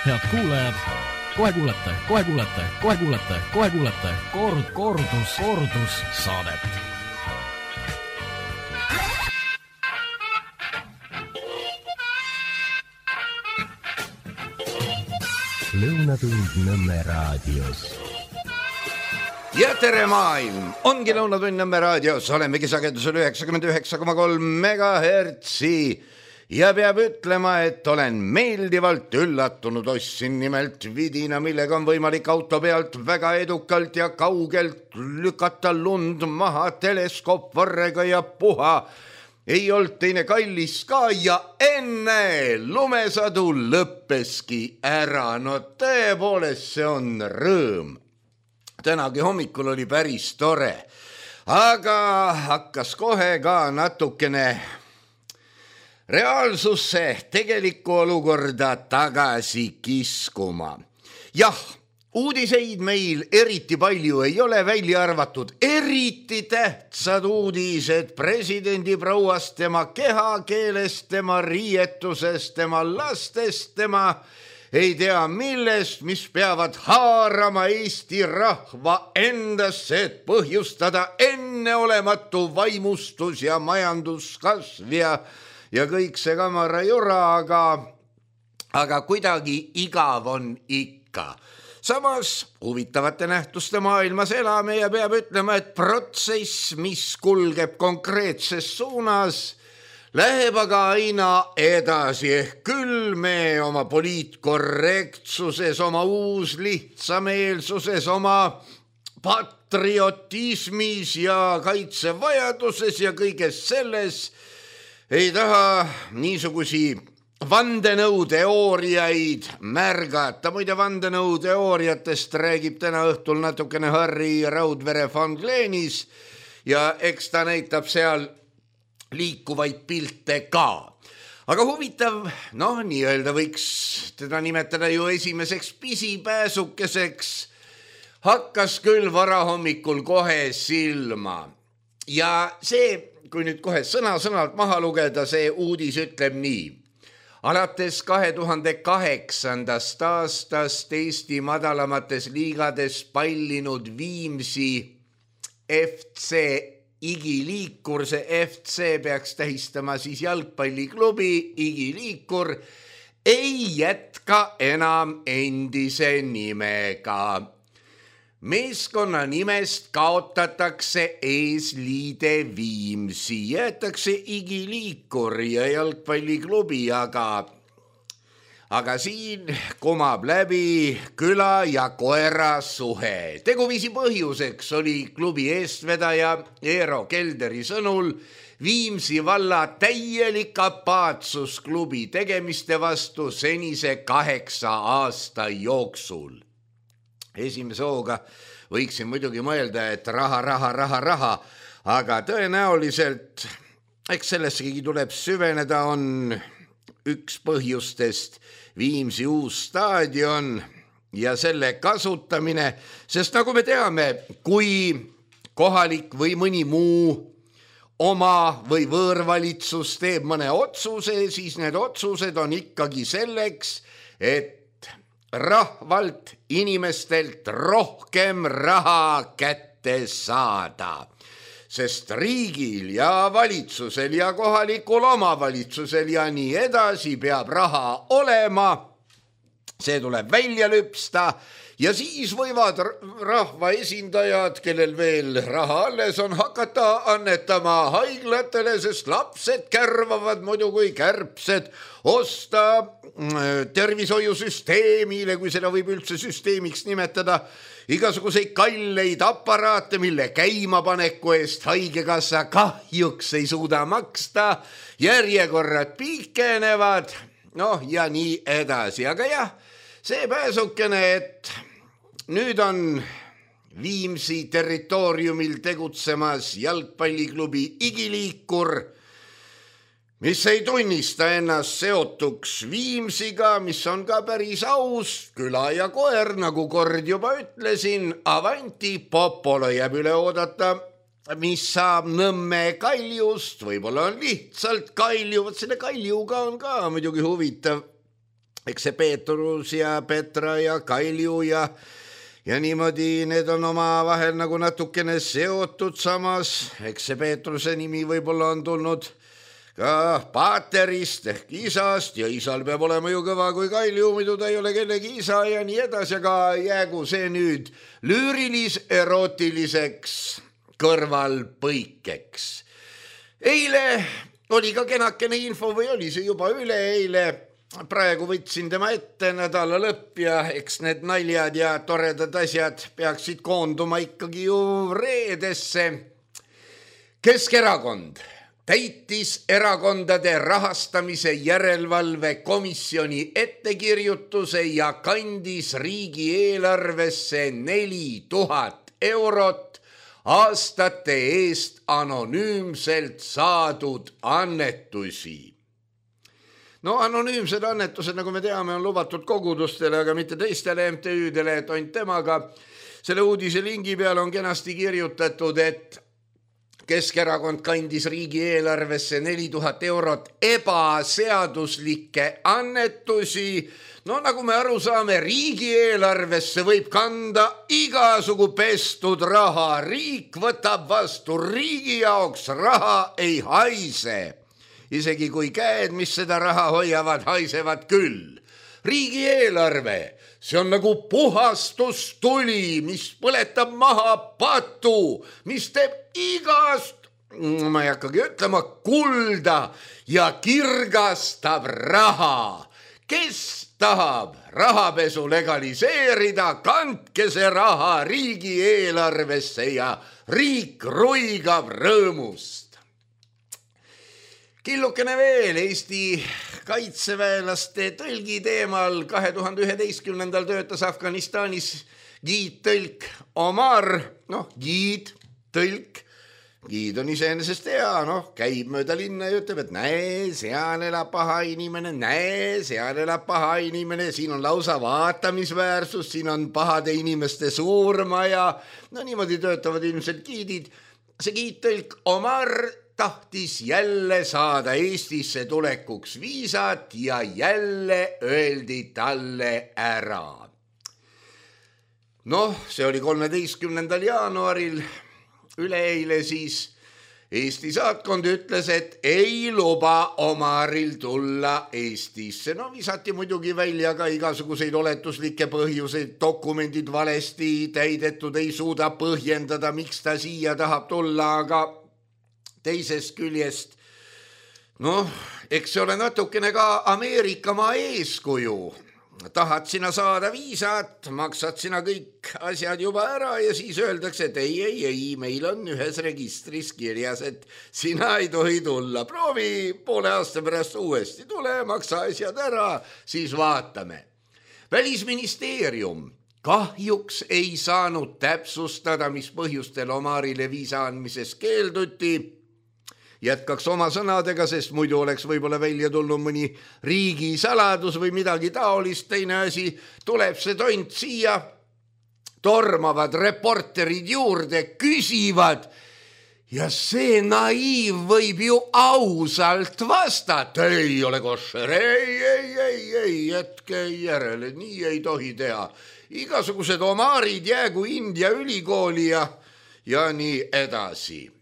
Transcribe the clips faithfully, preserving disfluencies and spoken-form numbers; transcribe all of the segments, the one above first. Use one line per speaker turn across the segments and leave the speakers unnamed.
Head kuulajad, kohe kuulete, kohe kuulete, kohe kuulete, kohe kuulete kord, kordus, kordus saadet.
Lõunatund Nõmme raadios.
Ja tere maailm, ongi Lõunatund Nõmme raadios, olemegi sagedusel üheksakümmend üheksa koma kolm megahertsi ja peab ütlema, et olen meeldivalt üllatunud, ostsin nimelt vidina, millega on võimalik auto pealt väga edukalt ja kaugelt lükata lund maha teleskoopvarrega ja puha. Ei olnud teine kallis ka ja enne lumesadu lõppeski ära. No tõepoolest, see on rõõm. Tänagi hommikul oli päris tore, aga hakkas kohe ka natukene reaalsusse tegelikku olukorda tagasi kiskuma. Jah, uudiseid meil eriti palju ei ole, välja arvatud eriti tähtsad uudised presidendi prouast, tema kehakeelest, tema riietusest, tema lastest, tema ei tea millest, mis peavad haarama Eesti rahva endasse, et põhjustada enneolematu vaimustus ja majanduskasv ja, ja kõik see kamara jura, aga, aga kuidagi igav on ikka. Samas huvitavate nähtuste maailmas elame ja peab ütlema, et protsess, mis kulgeb konkreetses suunas, läheb aga aina edasi, ehk küll me oma poliitkorrektsuses, oma uuslihtsameelsuses, oma patriotismis ja kaitsevajaduses ja kõiges selles ei taha niisugusi vandenõuteooriaid märgata. Muide, vandenõuteooriatest räägib täna õhtul natukene Harri Raudvere von Glenis ja eks ta näitab seal liikuvaid pilte ka. Aga huvitav, noh, nii-öelda võiks teda nimetada ju esimeseks pisipääsukeseks, hakkas küll varahommikul kohe silma. Ja see, kui nüüd kohe sõna-sõnalt maha lugeda, see uudis ütleb nii. Alates kahe tuhande kaheksandast aastast Eesti madalamates liigades pallinud Viimsi F C Igiliikur, see F C peaks tähistama siis jalgpalliklubi Igiliikur, ei jätka enam endise nimega. Meeskonna nimest kaotatakse eesliide Viimsi, jäetakse Igiliikur ja jalgpalliklubi, aga, aga siin kumab läbi küla ja koera suhe. Teguviisi põhjuseks oli klubi eestvedaja Eero Kelderi sõnul Viimsi valla täielik apaatsus klubi tegemiste vastu senise kaheksa aasta jooksul. Esimese hooga võiksin muidugi mõelda, et raha, raha, raha, raha, aga tõenäoliselt, eks sellessegi tuleb süveneda, on üks põhjustest Viimsi uus staadion ja selle kasutamine, sest nagu me teame, kui kohalik või mõni muu oma või võõrvalitsus teeb mõne otsuse, siis need otsused on ikkagi selleks, et rahvalt, inimestelt rohkem raha kätte saada. Sest riigil ja valitsusel ja kohalikul omavalitsusel ja nii edasi peab raha olema, see tuleb välja lüpsta ja siis võivad rahva esindajad, kellel veel raha alles on, hakata annetama haiglatele, sest lapsed kärvavad muidu kui kärbsed, osta tervishoiusüsteemile, kui seda võib üldse süsteemiks nimetada, igasuguseid kalleid aparaate, mille käimapaneku eest haigekassa kahjuks ei suuda maksta, järjekorrad pikenevad, noh ja nii edasi. Aga jah, see pääsukene, et nüüd on Viimsi territooriumil tegutsemas jalgpalliklubi Igiliikur, mis ei tunnista ennast seotuks Viimsiga, mis on ka päris aus, küla ja koer, nagu kord juba ütlesin, avanti popolo jääb üle oodata, mis saab Nõmme Kaljust, võib-olla on lihtsalt Kalju, võt selle Kaljuga on ka muidugi huvitav eks see Peetrus ja Petra ja Kalju ja ja niimoodi need on omavahel nagu natukene seotud, samas eks see Peetruse nimi võib-olla on tulnud ka paaterist ehk isast ja isal peab olema ju kõva kui Kalju, muidu ta ei ole kellegi isa ja nii edasi, aga jäägu see nüüd lüürilis-erootiliseks kõrvalpõikeks. Eile oli ka kenakene info või oli see juba üleeile, praegu võtsin tema ette nädala lõpp ja eks need naljad ja toredad asjad peaksid koonduma ikkagi ju reedesse. Keskerakond täitis erakondade rahastamise järelevalve komisjoni ettekirjutuse ja kandis riigieelarvesse neli tuhat eurot aastate eest anonüümselt saadud annetusi. No anonüümsed annetused, nagu me teame, on lubatud kogudustele, aga mitte teistele M T Ü-dele, et ainult temaga. Selle uudise lingi peal on kenasti kirjutatud, et Keskerakond kandis riigieelarvesse neli tuhat eurot ebaseaduslikke annetusi. No nagu me aru saame, riigieelarvesse võib kanda igasugu pestud raha. Riik võtab vastu, riigi jaoks raha ei haise. Isegi kui käed, mis seda raha hoiavad, haisevad küll. Riigieelarve, see on nagu puhastustuli, mis põletab maha patu, mis teeb igast, ma ei hakkagi ütlema, kulda ja kirgastab raha. Kes tahab rahapesu legaliseerida, kandke see raha riigieelarvesse ja riik ruigab rõõmust. Killukene veel Eesti kaitseväelaste tõlgi teemal. kahe tuhande üheteistkümnendal töötas Afganistanis giidtõlk Omar, noh giid, tõlk, giid on iseenesest hea, noh käib mööda linna ja ütleb, et näe, seal elab paha inimene, näe, seal elab paha inimene, siin on lausa vaatamisväärsus, siin on pahade inimeste suurmaja, no niimoodi töötavad ilmselt giidid. See giidtõlk Omar tahtis jälle saada Eestisse tulekuks viisat ja jälle öeldi talle ära. Noh, see oli kolmeteistkümnendal jaanuaril, üleeile siis Eesti saatkond ütles, et ei luba Omaril tulla Eestisse. No visati muidugi välja ka igasuguseid oletuslikke põhjuseid, dokumendid valesti täidetud, ei suuda põhjendada, miks ta siia tahab tulla, aga teisest küljest, noh, eks see ole natukene ka Ameerikamaa eeskuju. Tahad sina saada viisat, maksad sina kõik asjad juba ära ja siis öeldakse, et ei, ei, ei, meil on ühes registris kirjas, et sina ei tohi tulla. Proovi poole aasta pärast uuesti, tule, maksa asjad ära, siis vaatame. Välisministeerium kahjuks ei saanud täpsustada, mis põhjustel Omarile viisa andmises keelduti. Jätkaks oma sõnadega, sest muidu oleks võib-olla välja tulnud mõni riigisaladus või midagi taolist. Teine asi, tuleb see tont siia, tormavad reporterid juurde, küsivad ja see naiiv võib ju ausalt vastata. Ei ole košer, ei, ei, ei, ei, jätke järele, nii ei tohi teha. Igasugused Omarid jäägu India ülikooli ja, ja nii edasi.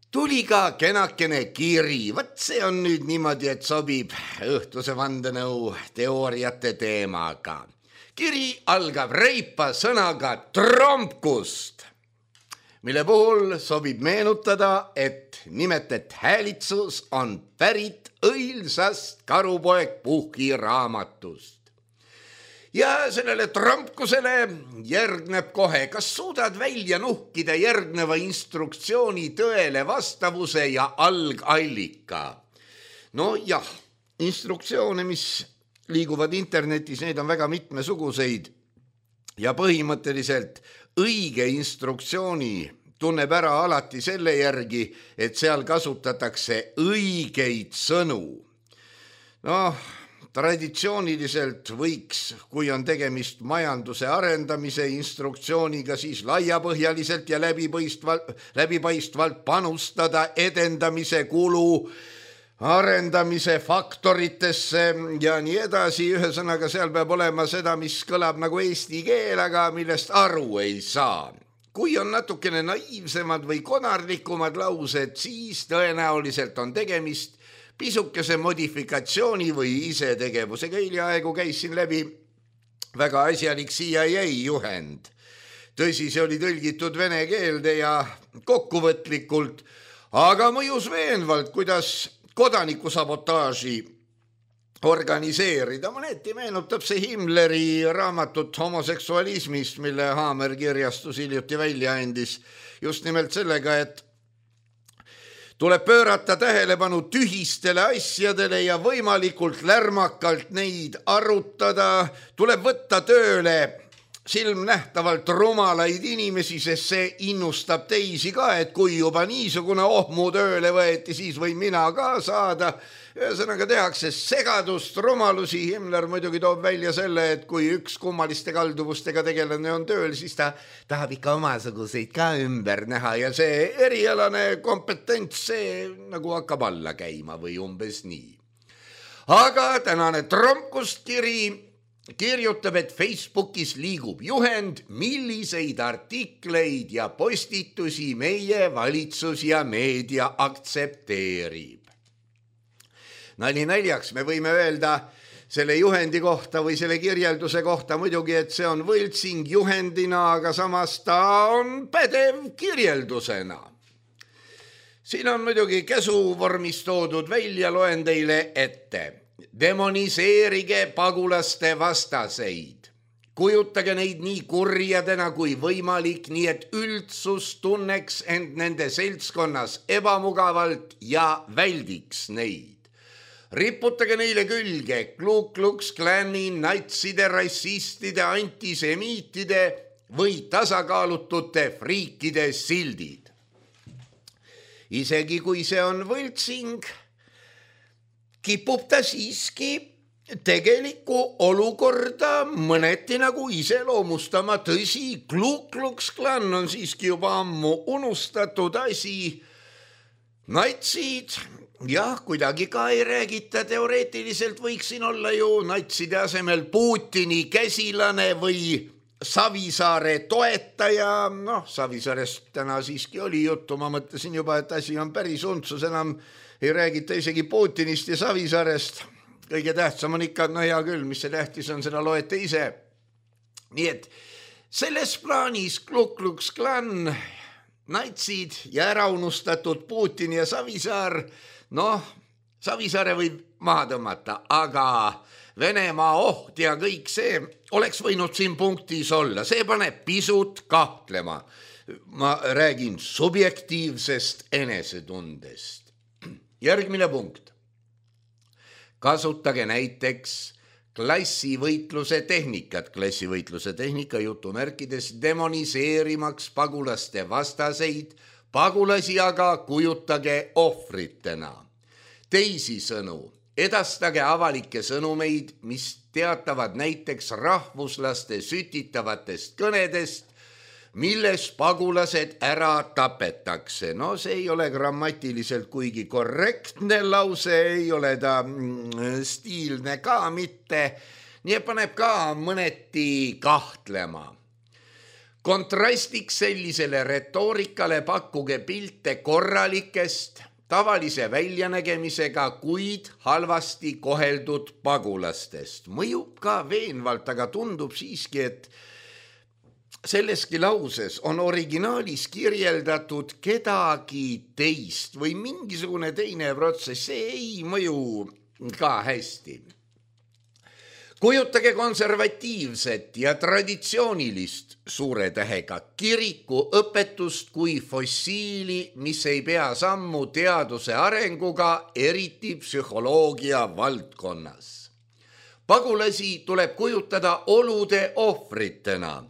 Tuli ka kenakene kiri, võt see on nüüd niimoodi, et sobib õhtuse vandenõu teooriate teemaga. Kiri algab reipa sõnaga trompkust, mille puhul sobib meenutada, et nimetet häälitsus on pärit õilsast Karupoeg Puhki raamatust. Ja sellele trompkusele järgneb kohe, kas suudad välja nuhkida järgneva instruktsiooni tõele vastavuse ja algallika? No jah, instruktsioone, mis liiguvad internetis, neid on väga mitmesuguseid ja põhimõtteliselt õige instruktsiooni tunneb ära alati selle järgi, et seal kasutatakse õigeid sõnu. Noh, traditsiooniliselt võiks, kui on tegemist majanduse arendamise instruktsiooniga, siis laiapõhjaliselt ja läbipaistvalt, läbipaistvalt panustada edendamise kulu arendamise faktoritesse ja nii edasi. Ühesõnaga seal peab olema seda, mis kõlab nagu eesti keel, aga millest aru ei saa. Kui on natukene naiivsemad või konarlikumad laused, siis tõenäoliselt on tegemist pisukese modifikatsiooni või isetegevusega. Hiljaaegu käisin läbi väga asjalik C I A juhend. Tõsi, see oli tõlgitud vene keelde ja kokkuvõtlikult, aga mõjus veenvalt, kuidas kodanikusabotaaži organiseerida. Mõneti meenutab see Himmleri raamatut homoseksualismist, mille Haamer kirjastus hiljuti välja andis. Just nimelt sellega, et tuleb pöörata tähelepanu tühistele asjadele ja võimalikult lärmakalt neid arutada. Tuleb võtta tööle silmnähtavalt rumalaid inimesi, sest see innustab teisi ka, et kui juba niisugune ohmu tööle võeti, siis võin mina ka saada. Ühesõnaga tehakse segadust, rumalusi. Himmler muidugi toob välja selle, et kui üks kummaliste kalduvustega tegelane on tööl, siis ta tahab ikka omasuguseid ka ümber näha ja see erialane kompetents, see nagu hakkab alla käima või umbes nii. Aga tänane tromkustkiri kirjutab, et Facebookis liigub juhend, milliseid artikleid ja postitusi meie valitsus ja meedia aktsepteerib. Nali naljaks, me võime öelda selle juhendi kohta või selle kirjelduse kohta muidugi, et see on võltsing juhendina, aga samas ta on pädev kirjeldusena. Siin on muidugi käsuvormis toodud välja, loen teile ette. Demoniseerige pagulaste vastaseid. Kujutage neid nii kurjadena kui võimalik, nii et üldsus tunneks end nende seltskonnas ebamugavalt ja väldiks neid. Riputage neile külge Ku Klux Klani, natside, rassistide, antisemiitide või tasakaalutute friikide sildid. Isegi kui see on võltsing, kipub ta siiski tegelikku olukorda mõneti nagu iseloomustama. Tõsi, Ku Klux Klan on siiski juba ammu unustatud asi. Natsid, jah, kuidagi ka ei räägita. Teoreetiliselt võiks siin olla ju natside asemel Putini käsilane või Savisaare toetaja. Noh, Savisaarest täna siiski oli juttu. Ma mõtlesin juba, et asi on päris untsus, enam ei räägita isegi Putinist ja Savisaarest. Kõige tähtsam on ikka, no hea küll, mis see tähtis on, seda loete ise. Nii et selles plaanis Ku Klux Klan, natsid ja ära unustatud Putin ja Savisaar, noh, Savisaare võib maha tõmmata, aga Venemaa oht ja kõik see oleks võinud siin punktis olla. See paneb pisut kahtlema. Ma räägin subjektiivsest enesetundest. Järgmine punkt. Kasutage näiteks klassivõitluse tehnikat, klassivõitluse tehnika jutumärkides demoniseerimaks pagulaste vastaseid, pagulasi aga kujutage ohvritena. Teisisõnu, edastage avalikke sõnumeid, mis teatavad näiteks rahvuslaste sütitavatest kõnedest, milles pagulased ära tapetakse. No see ei ole grammatiliselt kuigi korrektne lause, ei ole ta stiilne ka mitte, nii paneb ka mõneti kahtlema. Kontrastiks sellisele retoorikale pakkuge pilte korralikest, tavalise väljanägemisega, kuid halvasti koheldud pagulastest. Mõjub ka veenvalt, aga tundub siiski, et selleski lauses on originaalis kirjeldatud kedagi teist või mingisugune teine protsess, see ei mõju ka hästi. Kujutage konservatiivset ja traditsioonilist suure tähega kiriku õpetust kui fossiili, mis ei pea sammu teaduse arenguga, eriti psühholoogia valdkonnas. Pagulasi tuleb kujutada olude ohvritena,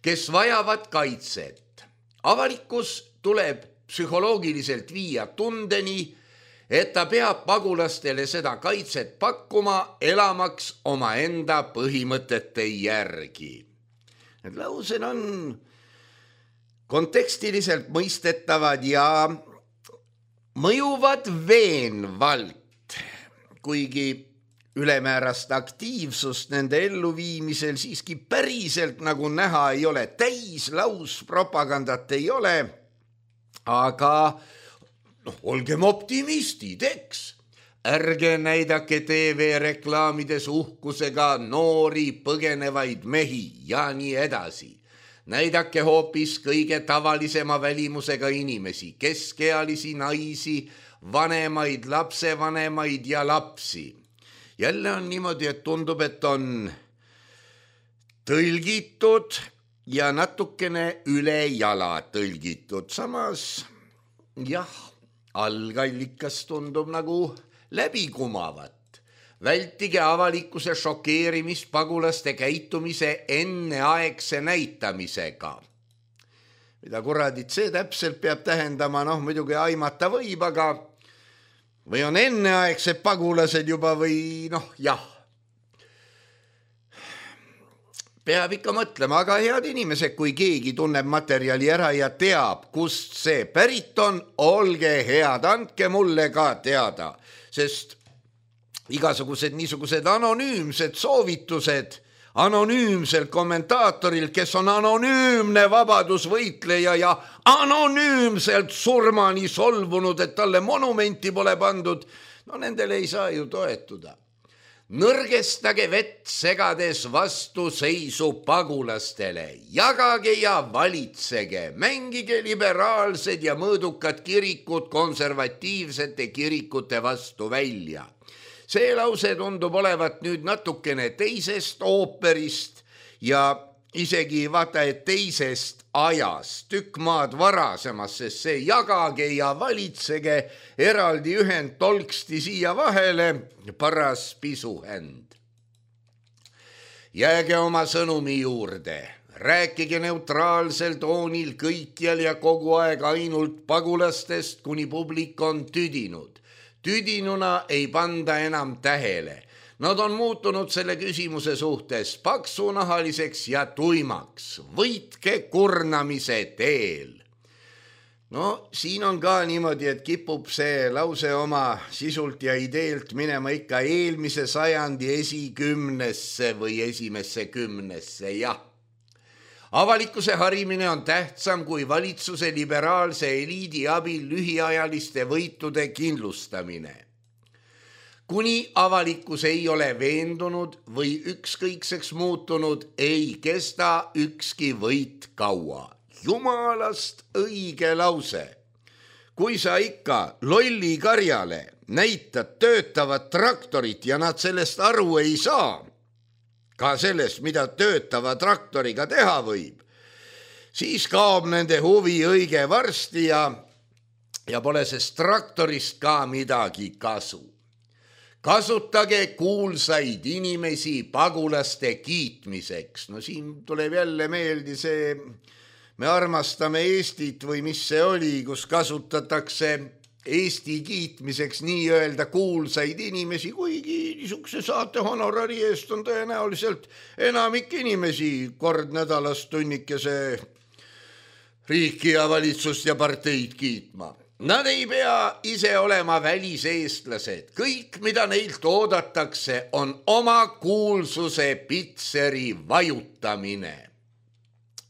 kes vajavad kaitset. Avalikkus tuleb psühholoogiliselt viia tundeni, et ta peab pagulastele seda kaitset pakkuma, elamaks oma enda põhimõtete järgi. Need laused on kontekstiliselt mõistetavad ja mõjuvad veenvalt. kuigi ülemäärast aktiivsust nende elluviimisel siiski päriselt nagu näha ei ole, täis lauspropagandat ei ole, aga noh, olgem optimistid, eks. Ärge näidake T V-reklaamides uhkusega noori põgenevaid mehi ja nii edasi. Näidake hoopis kõige tavalisema välimusega inimesi, keskealisi naisi, vanemaid, lapsevanemaid ja lapsi. Jälle on niimoodi, et tundub, et on tõlgitud ja natukene üle jala tõlgitud. Samas, jah, algallikas tundub nagu läbikumavat. Vältige avalikkuse šokeerimist pagulaste käitumise enneaegse näitamisega. Mida kuradit see täpselt peab tähendama, noh muidugi aimata võib, aga või on enneaegsed pagulased juba või noh, jah. Peab ikka mõtlema, aga head inimesed, kui keegi tunneb materjali ära ja teab, kust see pärit on, olge head, andke mulle ka teada, sest igasugused niisugused anonüümsed soovitused anonüümsel kommentaatoril, kes on anonüümne vabadusvõitleja ja anonüümselt surmani solvunud, et talle monumenti pole pandud, no nendele ei saa ju toetuda. Nõrgestage vett segades vastuseisu pagulastele, jagage ja valitsege, mängige liberaalsed ja mõõdukad kirikud konservatiivsete kirikute vastu välja. See lause tundub olevat nüüd natukene teisest ooperist ja isegi vaata, et teisest ajast, tükk maad varasemas, sest see jagage ja valitsege eraldi ühend tolksti siia vahele, paras pisuhänd. Jääge oma sõnumi juurde, rääkige neutraalsel toonil kõikjal ja kogu aeg ainult pagulastest, kuni publik on tüdinud. Tüdinuna ei panda enam tähele. Nad on muutunud selle küsimuse suhtes paksunahaliseks ja tuimaks. Võitke kurnamise teel. No siin on ka niimoodi, et kipub see lause oma sisult ja ideelt minema ikka eelmise sajandi esikümnesse või esimesse kümnesse, jah. Avalikkuse harimine on tähtsam kui valitsuse liberaalse eliidi abil lühiajaliste võitude kindlustamine. Kuni avalikkus ei ole veendunud või ükskõikseks muutunud, ei kesta ükski võit kaua. Jumalast õige lause. Kui sa ikka lolli karjale näitad töötavat traktorit ja nad sellest aru ei saa, ka sellest, mida töötava traktoriga teha võib, siis kaob nende huvi õige varsti ja, ja pole sest traktorist ka midagi kasu. Kasutage kuulsaid inimesi pagulaste kiitmiseks. No siin tuleb jälle meeldi see, me armastame Eestit või mis see oli, kus kasutatakse Eesti kiitmiseks nii-öelda kuulsaid inimesi, kuigi niisuguse saate honorari eest on tõenäoliselt enamik inimesi kord nädalas tunnikese riiki ja valitsust ja parteid kiitma. Nad ei pea ise olema väliseestlased. Kõik, mida neilt oodatakse, on oma kuulsuse pitseri vajutamine.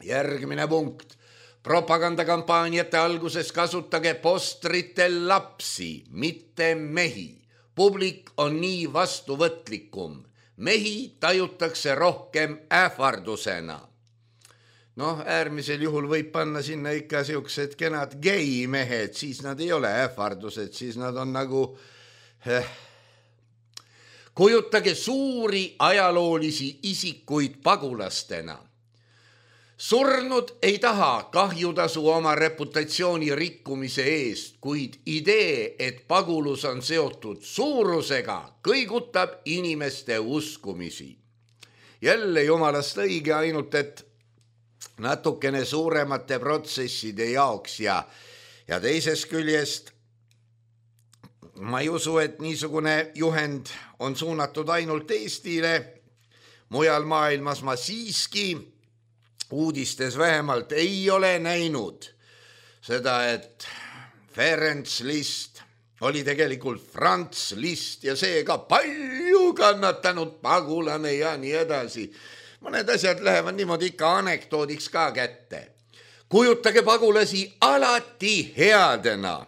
Järgmine punkt. Propagandakampaaniate alguses kasutage postritel lapsi, mitte mehi. Publik on nii vastuvõtlikum. Mehi tajutakse rohkem ähvardusena. Noh, äärmisel juhul võib panna sinna ikka siuksed kenad geimehed, siis nad ei ole ähvardused, siis nad on nagu... Eh. Kujutage suuri ajaloolisi isikuid pagulastena. Surnud ei taha kahjutasu oma reputatsiooni rikkumise eest, kuid idee, et pagulus on seotud suurusega, kõigutab inimeste uskumisi. Jälle jumalast õige, ainult et natukene suuremate protsesside jaoks ja, ja teisest küljest ma ei usu, et niisugune juhend on suunatud ainult Eestile. Mujal maailmas ma siiski uudistes vähemalt ei ole näinud seda, et Ferenc Liszt oli tegelikult Franz Liszt ja seega palju kannatanud pagulane ja nii edasi. Mõned asjad lähevad niimoodi ikka anekdoodiks ka kätte. Kujutage pagulasi alati headena.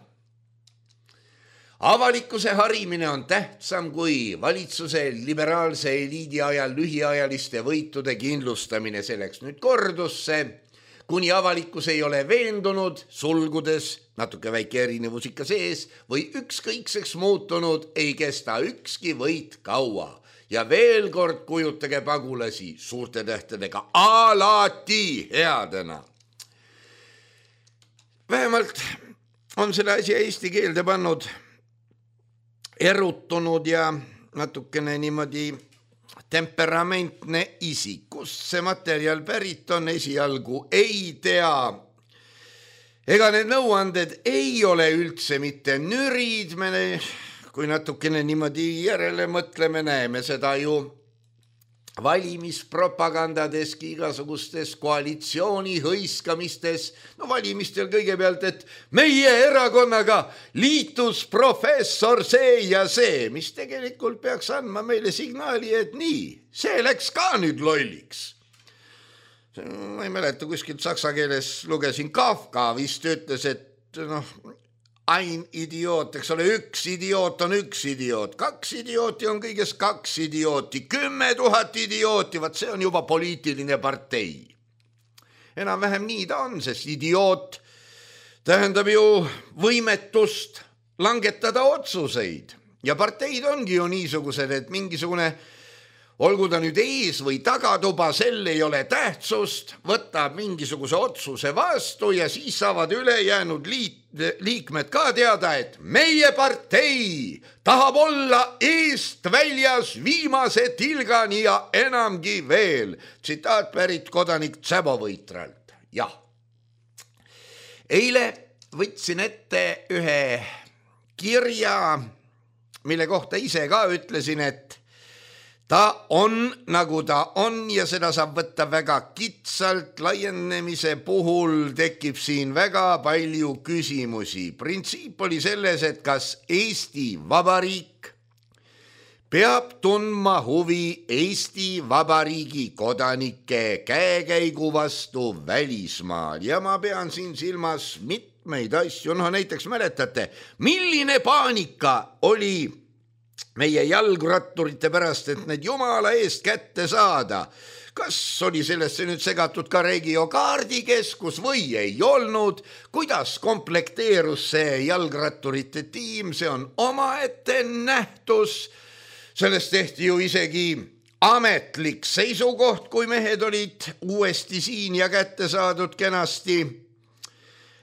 Avalikkuse harimine on tähtsam kui valitsuse liberaalse eliidi ajal lühiajaliste võitude kindlustamine. Selleks nüüd kordusse, kuni avalikkus ei ole veendunud, sulgudes, natuke väike erinevus ikka sees, või ükskõikseks muutunud, ei kesta ükski võit kaua. Ja veel kord kujutage pagulasi suurte tähtedega alati headena. Vähemalt on selle asja eesti keelde pannud erutunud ja natukene niimoodi temperamentne isik. Kust see materjal pärit on, esialgu ei tea. Ega need nõuanded ei ole üldse mitte nürid, me, kui natukene niimoodi järele mõtleme, näeme seda ju valimispropagandadeski, igasugustes koalitsiooni hõiskamistes. No valimistel kõigepealt, et meie erakonnaga liitus professor see ja see, mis tegelikult peaks andma meile signaali, et nii, see läks ka nüüd lolliks. Ma ei mäleta, kuskilt saksa keeles lugesin, Kafka vist ütles, et noh, ein idioot, eks ole, üks idioot on üks idioot, kaks idiooti on kõigest kaks idiooti, kümme tuhat idiooti, vaat see on juba poliitiline partei. Enam vähem nii ta on, sest idioot tähendab ju võimetust langetada otsuseid. Ja parteid ongi ju niisugused, et mingisugune, olgu ta nüüd ees või tagatuba, sel ei ole tähtsust, võtab mingisuguse otsuse vastu ja siis saavad ülejäänud liit, liikmed ka teada, et meie partei tahab olla eest väljas viimase tilgani ja enamgi veel. Tsitaat pärit kodanik Tsäbovõitralt. Jah. Eile võtsin ette ühe kirja, mille kohta ise ka ütlesin, et ta on nagu ta on ja seda saab võtta väga kitsalt. Laienemise puhul tekib siin väga palju küsimusi. Printsiip oli selles, et kas Eesti Vabariik peab tundma huvi Eesti Vabariigi kodanike käekäigu vastu välismaal. Ja ma pean siin silmas mitmeid asju. No näiteks mäletate, milline paanika oli meie jalgratturite pärast, et need jumala eest kätte saada. Kas oli sellesse nüüd segatud ka regiokaardikeskus või ei olnud? Kuidas komplekteerus see jalgratturite tiim? See on omaette nähtus. Sellest tehti ju isegi ametlik seisukoht, kui mehed olid uuesti siin ja kätte saadud kenasti.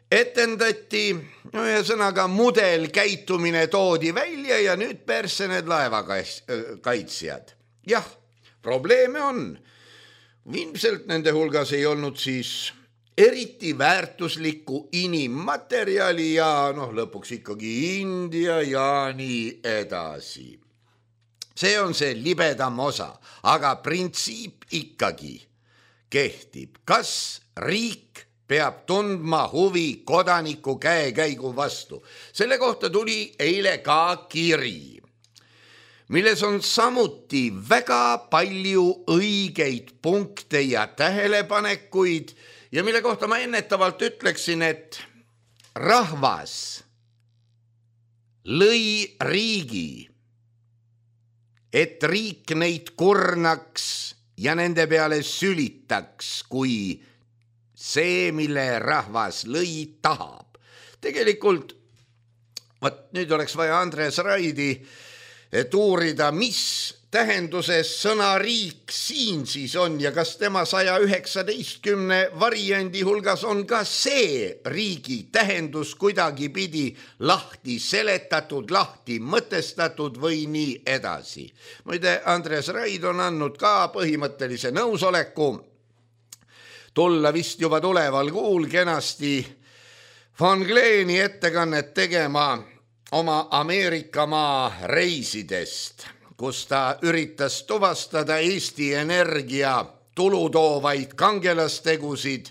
Etendati, no ühesõnaga mudel käitumine toodi välja ja nüüd persse need laevakaitsjad. Jah, probleeme on. Ilmselt nende hulgas ei olnud siis eriti väärtuslikku inimmaterjali ja noh, lõpuks ikkagi India ja nii edasi. See on see libedam osa, aga printsiip ikkagi kehtib. Kas riik peab tundma huvi kodaniku käekäigu vastu? Selle kohta tuli eile ka kiri, milles on samuti väga palju õigeid punkte ja tähelepanekuid ja mille kohta ma ennetavalt ütleksin, et rahvas lõi riigi, et riik neid kurnaks ja nende peale sülitaks, kui see, mille rahvas lõi, tahab. Tegelikult, vaat nüüd oleks vaja Andres Raidi, et uurida, mis tähenduses sõna riik siin siis on ja kas tema saja üheksateistkümne variandi hulgas on ka see riigi tähendus kuidagi pidi lahti seletatud, lahti mõtestatud või nii edasi. Muide, Andres Raid on andnud ka põhimõttelise nõusoleku tulla vist juba tuleval kuul kenasti Von Gleeni ettekannet tegema oma Ameerikamaa reisidest, kus ta üritas tuvastada Eesti Energia tulutoovaid kangelastegusid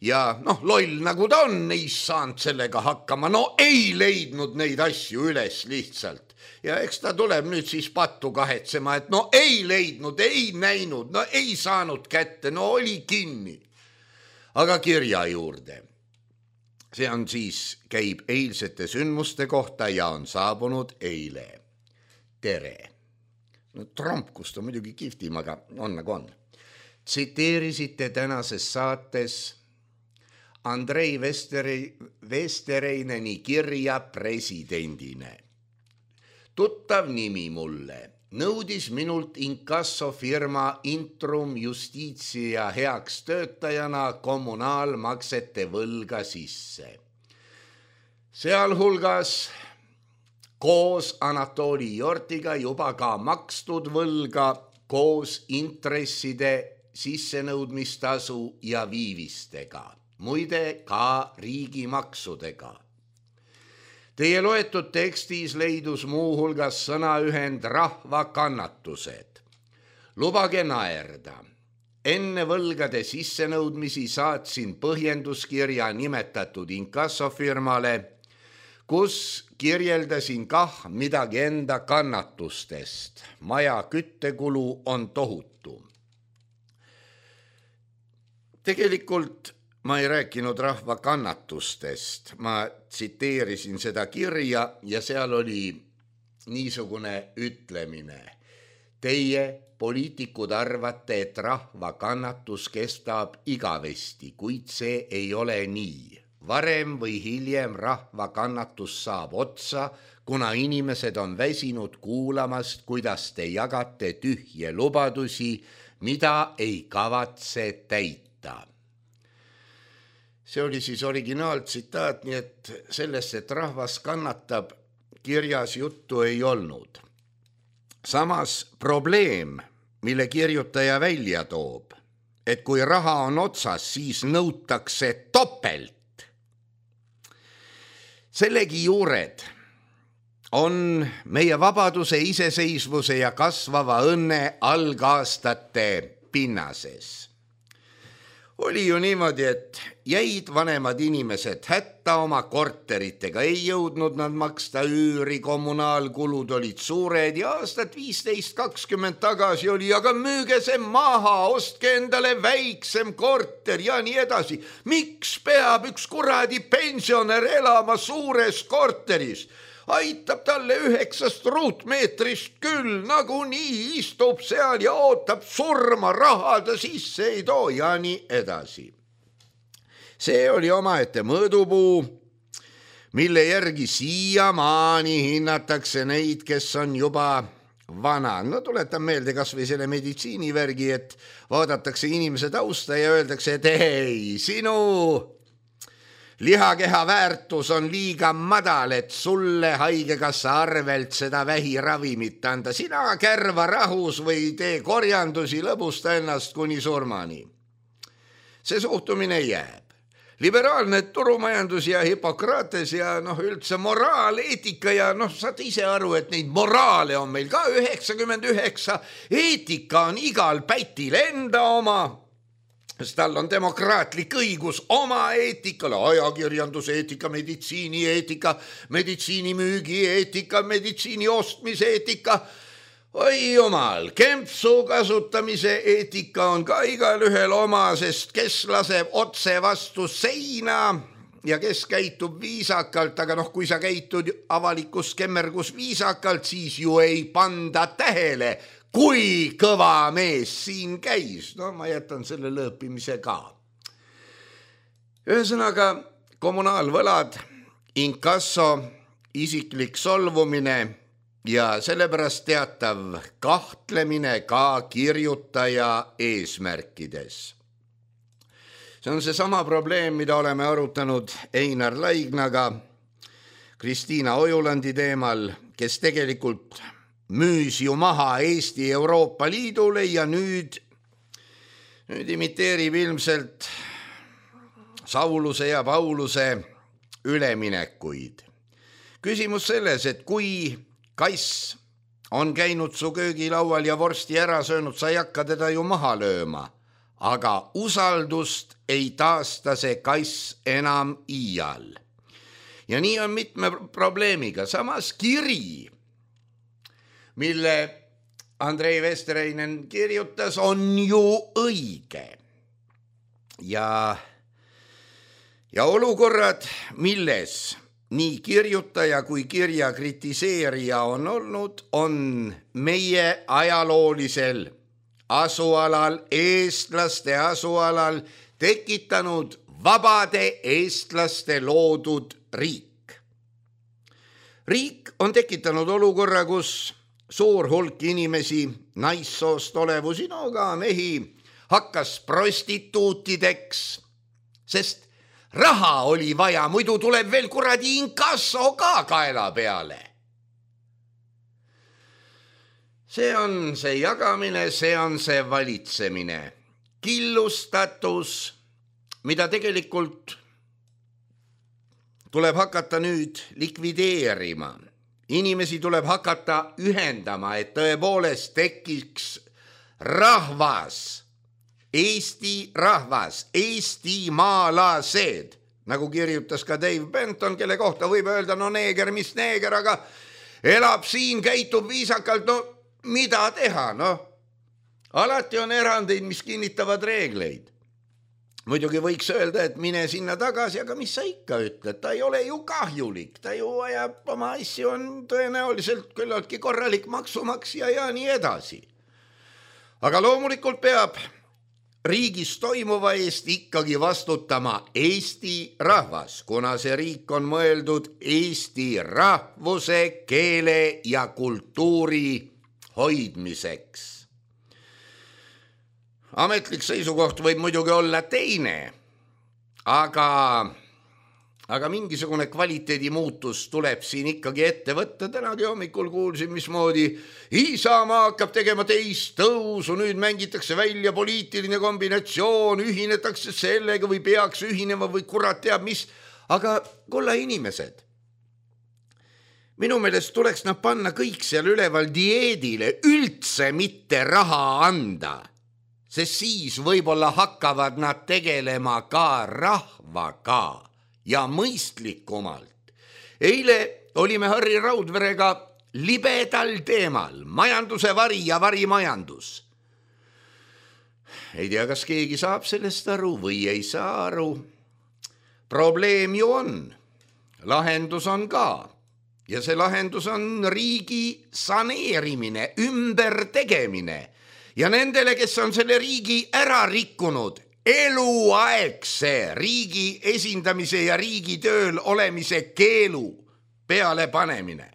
ja noh, loll nagu ta on, ei saanud sellega hakkama, no ei leidnud neid asju üles lihtsalt. Ja eks ta tuleb nüüd siis pattu kahetsema, et no ei leidnud, ei näinud, no ei saanud kätte, no oli kinni. Aga kirja juurde. See on siis, käib eilsete sündmuste kohta ja on saabunud eile. Tere. No trompkust on muidugi kihvtim, aga on nagu on. Tsiteerisite tänases saates Andrei Vestereineni kirja presidendine. Tuttav nimi mulle. Nõudis minult inkassofirma Intrum Justitia heaks töötajana kommunaalmaksete võlga sisse. Sealhulgas koos Anatoli Jortiga juba ka makstud võlga koos intresside sissenõudmistasu ja viivistega, muide ka riigimaksudega. Teie loetud tekstis leidus muuhulgas sõnaühend rahva kannatused. Lubage naerda. Enne võlgade sissenõudmisi saatsin põhjenduskirja nimetatud inkassofirmale, kus kirjeldasin kah midagi enda kannatustest. Maja küttekulu on tohutu. Tegelikult ma ei rääkinud rahva kannatustest, ma tsiteerisin seda kirja ja seal oli niisugune ütlemine. Teie, poliitikud, arvate, et rahva kannatus kestab igavesti, kuid see ei ole nii. Varem või hiljem rahva kannatus saab otsa, kuna inimesed on väsinud kuulamast, kuidas te jagate tühje lubadusi, mida ei kavatse täita. See oli siis originaaltsitaat, nii et sellest, et rahvas kannatab, kirjas juttu ei olnud. Samas probleem, mille kirjutaja välja toob, et kui raha on otsas, siis nõutakse topelt. Sellegi juured on meie vabaduse, iseseisvuse ja kasvava õnne algaastate pinnases. Oli ju niimoodi, et jäid vanemad inimesed hätta oma korteritega, ei jõudnud nad maksta üüri, kommunaalkulud olid suured ja aastat viisteist kakskümmend tagasi oli, aga müüge see maha, ostke endale väiksem korter ja nii edasi. Miks peab üks kuradi pensionär elama suures korteris? Aitab talle üheksast ruutmeetrist küll, nagu nii istub seal ja ootab surma, raha ta sisse ei too ja nii edasi. See oli omaette mõõdupuu, mille järgi siiamaani hinnatakse neid, kes on juba vana. No tuletan meelde kas või selle meditsiinivärgi, et vaadatakse inimese tausta ja öeldakse, et ei, sinu lihakeha väärtus on liiga madal, et sulle haigekassa arvelt seda vähiravimit anda. Sina kärva rahus või tee korjandusi, lõbusta ennast kuni surmani. See suhtumine jääb. Liberaalne turumajandus ja Hippokrates ja noh, üldse moraal, eetika ja noh, saad ise aru, et neid moraale on meil ka üheksakümmend üheksa. Eetika on igal pätil enda oma. Sest tal on demokraatlik õigus oma eetikale, ajakirjanduse eetika, meditsiini eetika, meditsiini müügi eetika, meditsiini ostmise eetika. Oi jumal, kempsu kasutamise eetika on ka igal ühel oma, sest kes laseb otse vastu seina ja kes käitub viisakalt, aga noh, kui sa käitud avalikus kemmergus viisakalt, siis ju ei panda tähele, kui kõva mees siin käis. No ma jätan selle lõõpimise ka. Ühesõnaga, kommunaalvõlad, inkasso, isiklik solvumine ja sellepärast teatav kahtlemine ka kirjutaja eesmärkides. See on see sama probleem, mida oleme arutanud Einar Laignaga, Kristiina Ojulandi teemal, kes tegelikult müüs ju maha Eesti Euroopa Liidule ja nüüd, nüüd imiteerib ilmselt Sauluse ja Pauluse üleminekuid. Küsimus selles, et kui kass on käinud su köögilaual ja vorsti ära söönud, sa ei hakka teda ju maha lööma. aga usaldust ei taasta see kass enam iial. Ja nii on mitme probleemiga. Samas kiri, mille Andrei Vestreinen kirjutas, on ju õige. Ja, ja olukorrad, milles nii kirjutaja kui kirja kritiseerija on olnud, on meie ajaloolisel asualal, eestlaste asualal tekitanud vabade eestlaste loodud riik. Riik on tekitanud olukorra, kus suur hulk inimesi, naissoost olevusi, no ka mehi, hakkas prostituutideks, sest raha oli vaja, muidu tuleb veel kuradi inkasso ka kaela peale. See on see jagamine, see on see valitsemine. Killustatus, mida tegelikult tuleb hakata nüüd likvideerima. Inimesi tuleb hakata ühendama, et tõepoolest tekiks rahvas, Eesti rahvas, eestimaalased, nagu kirjutas ka Dave Benton, kelle kohta võib öelda, no neeger, mis neeger, aga elab siin, käitub viisakalt, no mida teha, no alati on erandeid, mis kinnitavad reegleid. Muidugi võiks öelda, et mine sinna tagasi, aga mis sa ikka ütled, ta ei ole ju kahjulik, ta ju ajab oma asju, on tõenäoliselt küllaltki korralik maksumaksja ja nii edasi. Aga loomulikult peab riigis toimuva eest ikkagi vastutama Eesti rahvas, kuna see riik on mõeldud Eesti rahvuse, keele ja kultuuri hoidmiseks. Ametlik seisukoht võib muidugi olla teine, aga, aga mingisugune kvaliteedi muutus tuleb siin ikkagi ette võtta. Tänagi hommikul kuulsin, mismoodi Isamaa hakkab tegema teist tõusu, nüüd mängitakse välja poliitiline kombinatsioon, ühinetakse sellega või peaks ühinema või kurat teab mis. Aga kulla inimesed, minu meelest tuleks nad panna kõik seal üleval dieedile, üldse mitte raha anda. Sest siis võib-olla hakkavad nad tegelema ka rahvaga ja mõistlikumalt. Eile olime Harri Raudverega libedal teemal, majanduse vari ja varimajandus. Ei tea, kas keegi saab sellest aru või ei saa aru. Probleem ju on, lahendus on ka. Ja see lahendus on riigi saneerimine, ümbertegemine. Ja nendele, kes on selle riigi ära rikkunud, eluaegse riigi esindamise ja riigi tööl olemise keelu peale panemine.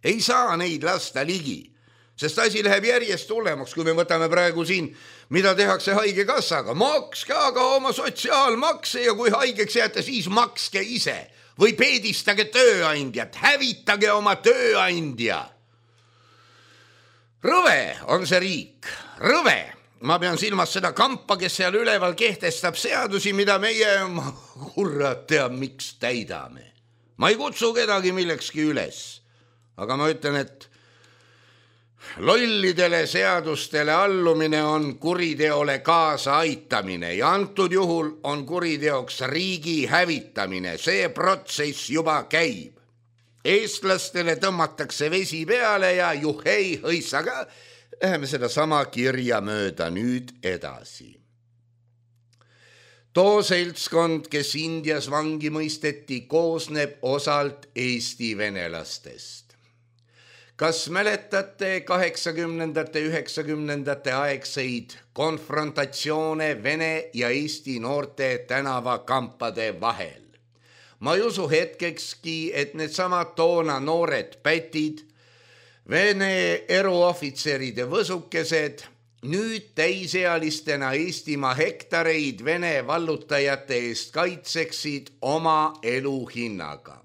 Ei saa neid lasta ligi, sest asi läheb järjest hullemaks, kui me võtame praegu siin, mida tehakse haigekassaga. Makske aga oma sotsiaalmakse ja kui haigeks jääte, siis makske ise või peedistage tööandjat, hävitage oma tööandja. Rõve on see riik, rõve. Ma pean silmas seda kampa, kes seal üleval kehtestab seadusi, mida meie, kurat teab, miks täidame. Ma ei kutsu kedagi millekski üles, aga ma ütlen, et lollidele seadustele allumine on kuriteole kaasa aitamine ja antud juhul on kuriteoks riigi hävitamine. See protsess juba käib. Eestlastele tõmmatakse vesi peale ja juhei hõissaga. Läheme seda sama kirja mööda nüüd edasi. Too seltskond, kes Indias vangi mõisteti, koosneb osalt Eesti venelastest. Kas mäletate kaheksakümnendate, üheksakümnendate aegseid konfrontatsioone Vene ja Eesti noorte tänavakampade vahel? Ma ei usu hetkekski, et need samad toona noored pätid, Vene eruohvitseride võsukesed, nüüd täisealistena Eestimaa hektareid Vene vallutajate eest kaitseksid oma elu hinnaga.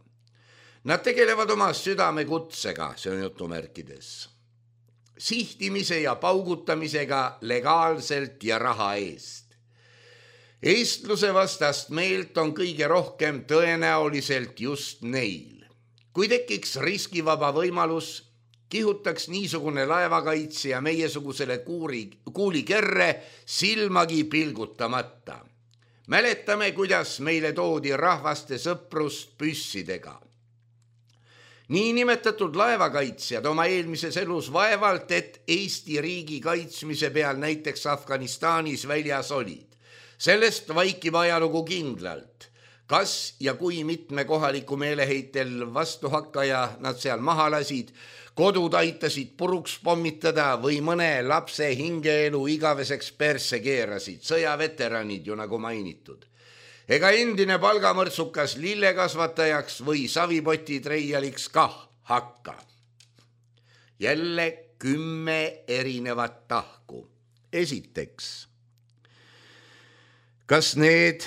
Nad tegelevad oma südamekutsega, see on jutumärkides, sihtimise ja paugutamisega legaalselt ja raha eest. Eestluse vastast meelt on kõige rohkem tõenäoliselt just neil. Kui tekiks riskivaba võimalus, kihutaks niisugune laevakaitsja meiesugusele kuuri, kuulikerre silmagi pilgutamata. Mäletame, kuidas meile toodi rahvaste sõprust püssidega. Niinimetatud laevakaitsjad oma eelmises elus vaevalt, et Eesti riigi kaitsmise peal näiteks Afganistanis väljas olid. Sellest vaikib ajalugu kindlalt. Kas ja kui mitme kohaliku meeleheitel vastuhakkaja nad seal maha lasid, kodud aitasid puruks pommitada või mõne lapse hingeelu igaveseks persse keerasid, sõjaveteranid ju nagu mainitud. Ega endine palgamõrtsukas lillekasvatajaks või savipotitreialiks kah hakka. Jälle kümme erinevat tahku. Esiteks, kas need,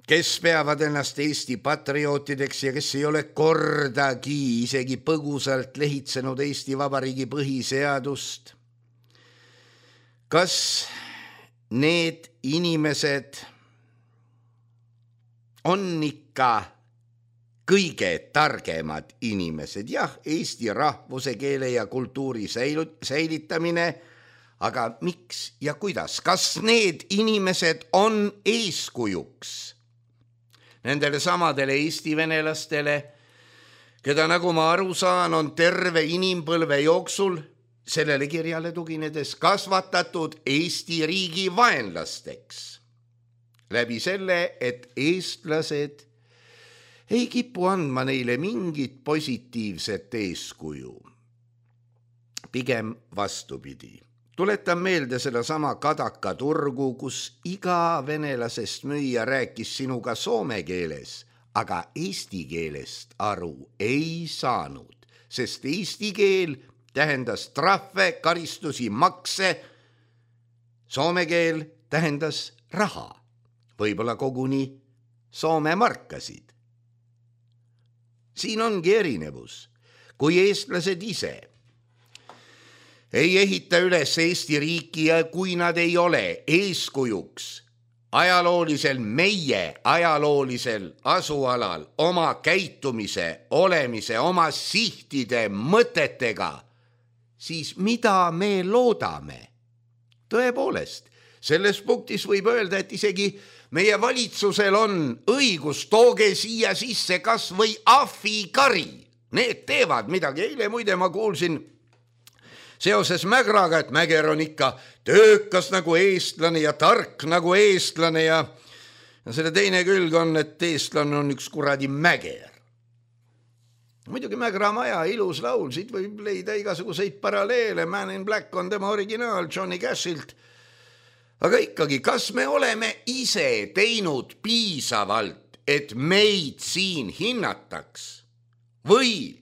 kes peavad ennast Eesti patriootideks ja kes ei ole kordagi isegi põgusalt lehitsenud Eesti Vabariigi põhiseadust, kas need inimesed on ikka kõige targemad inimesed? Jah, Eesti rahvuse, keele ja kultuuri säilitamine, aga miks ja kuidas? Kas need inimesed on eeskujuks nendele samadele Eesti venelastele, keda, nagu ma aru saan, on terve inimpõlve jooksul sellele kirjale tuginedes kasvatatud Eesti riigi vaenlasteks läbi selle, et eestlased ei kipu andma neile mingit positiivset eeskuju. Pigem vastupidi. Tuletan meelde seda sama Kadaka turgu, kus iga venelasest müüja rääkis sinuga soome keeles, aga eesti keelest aru ei saanud, sest eesti keel tähendas trahve, karistusi, makse, soome keel tähendas raha, võib-olla koguni soome markasid. Siin ongi erinevus, kui eestlased ise ei ehita üles Eesti riiki ja kui nad ei ole eeskujuks ajaloolisel, meie ajaloolisel asualal oma käitumise, olemise, oma sihtide, mõtetega, siis mida me loodame? Tõepoolest, selles punktis võib öelda, et isegi meie valitsusel on õigus, tooge siia sisse kas või ahvikari. Need teevad midagi. Eile muide ma kuulsin seoses Mägraga, et Mäger on ikka töökas nagu eestlane ja tark nagu eestlane ja, ja selle teine külg on, et eestlane on üks kuradi Mäger. Muidugi Mägra maja, ilus laul, siit võib leida igasuguseid paralleele, Man in Black on tema originaal Johnny Cashilt. Aga ikkagi, kas me oleme ise teinud piisavalt, et meid siin hinnataks või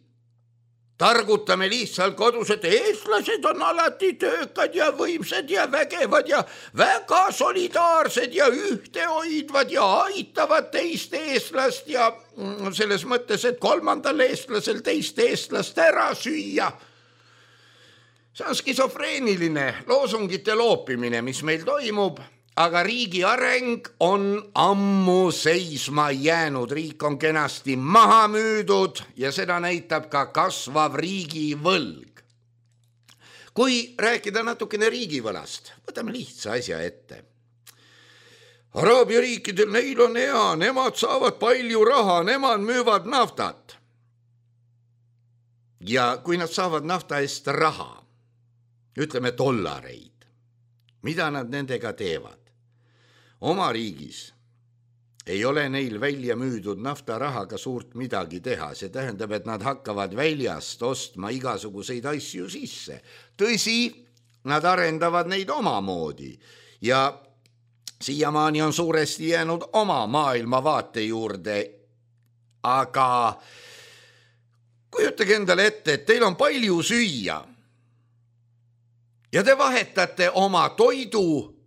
targutame lihtsalt kodus, et eestlased on alati töökad ja võimsad ja vägevad ja väga solidaarsed ja ühtehoidvad ja aitavad teist eestlast ja selles mõttes, et kolmandal eestlasel teist eestlast ära süüa. See on skisofreeniline loosungite loopimine, mis meil toimub, aga riigi areng on ammu seisma jäänud. Riik on kenasti maha müüdud ja seda näitab ka kasvav riigivõlg. Kui rääkida natukene riigivõlast, võtame lihtsa asja ette. Araabia riikidel, neil on hea, nemad saavad palju raha, nemad müüvad naftat. Ja kui nad saavad nafta eest raha, ütleme dollareid, mida nad nendega teevad? Oma riigis ei ole neil välja müüdud naftarahaga suurt midagi teha. See tähendab, et nad hakkavad väljast ostma igasuguseid asju sisse. Tõsi, nad arendavad neid omamoodi ja siiamaani on suuresti jäänud oma maailmavaate juurde. Aga kujutage endale ette, et teil on palju süüa ja te vahetate oma toidu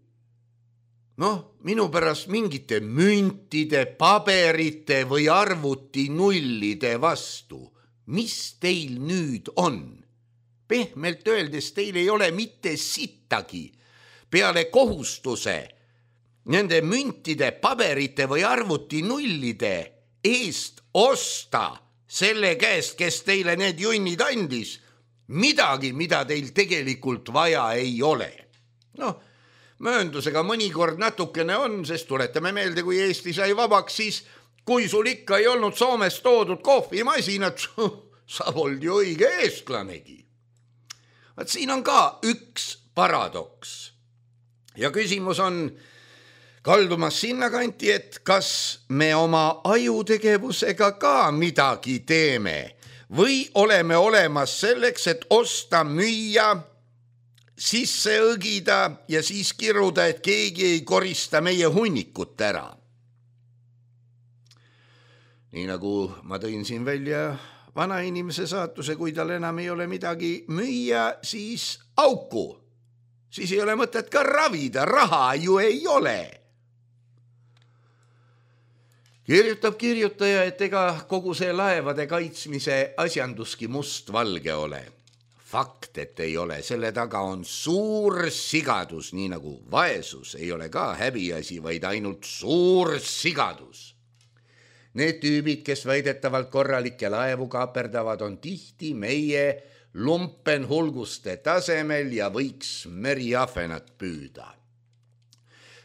noh, minu pärast mingite müntide, paberite või arvuti nullide vastu. Mis teil nüüd on? Pehmelt öeldes teil ei ole mitte sittagi peale kohustuse nende müntide, paberite või arvuti nullide eest osta selle käest, kes teile need junnid andis, midagi, mida teil tegelikult vaja ei ole. Noh, mööndusega mõnikord natukene on, sest tuletame meelde, kui Eesti sai vabaks, siis kui sul ikka ei olnud Soomest toodud kohvimasinat, sa polnud ju õige eestlanegi. Vaat siin on ka üks paradoks. Ja küsimus on kaldumas sinna kanti, et kas me oma ajutegevusega ka midagi teeme või oleme olemas selleks, et osta, müüa, sisse õgida ja siis kiruda, et keegi ei korista meie hunnikut ära. Nii nagu ma tõin siin välja vana inimese saatuse, kui tal enam ei ole midagi müüa, siis auku. Siis ei ole mõtet ka ravida, raha ju ei ole. Kirjutab kirjutaja, et ega kogu see laevade kaitsmise asjanduski must-valge ole. Fakt, et ei ole, selle taga on suur sigadus, nii nagu vaesus ei ole ka häbiasi, vaid ainult suur sigadus. Need tüübid, kes väidetavalt korralikke laevu kaaperdavad, on tihti meie lumpenhulguste tasemel ja võiks meriahvenat püüda.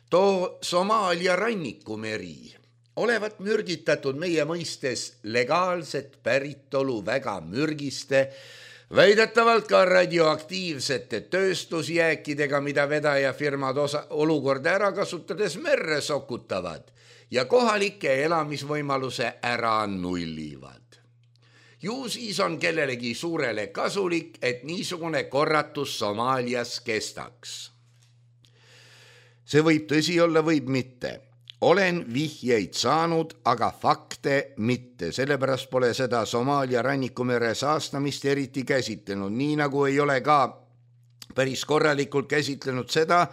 Too Somaalia rannikumeri olevat mürgitatud meie mõistes legaalset päritolu väga mürgiste, väidetavalt ka radioaktiivsete tööstusjääkidega, mida vedajafirmad osa, olukorda ära kasutades merre sokutavad ja kohalike elamisvõimaluse ära nullivad. Ju siis on kellelegi suurele kasulik, et niisugune korratus Somaalias kestaks. See võib tõsi olla, võib mitte. Olen vihjeid saanud, aga fakte mitte, sellepärast pole seda Somaalia rannikumere saastamist eriti käsitlenud, nii nagu ei ole ka päris korralikult käsitlenud seda,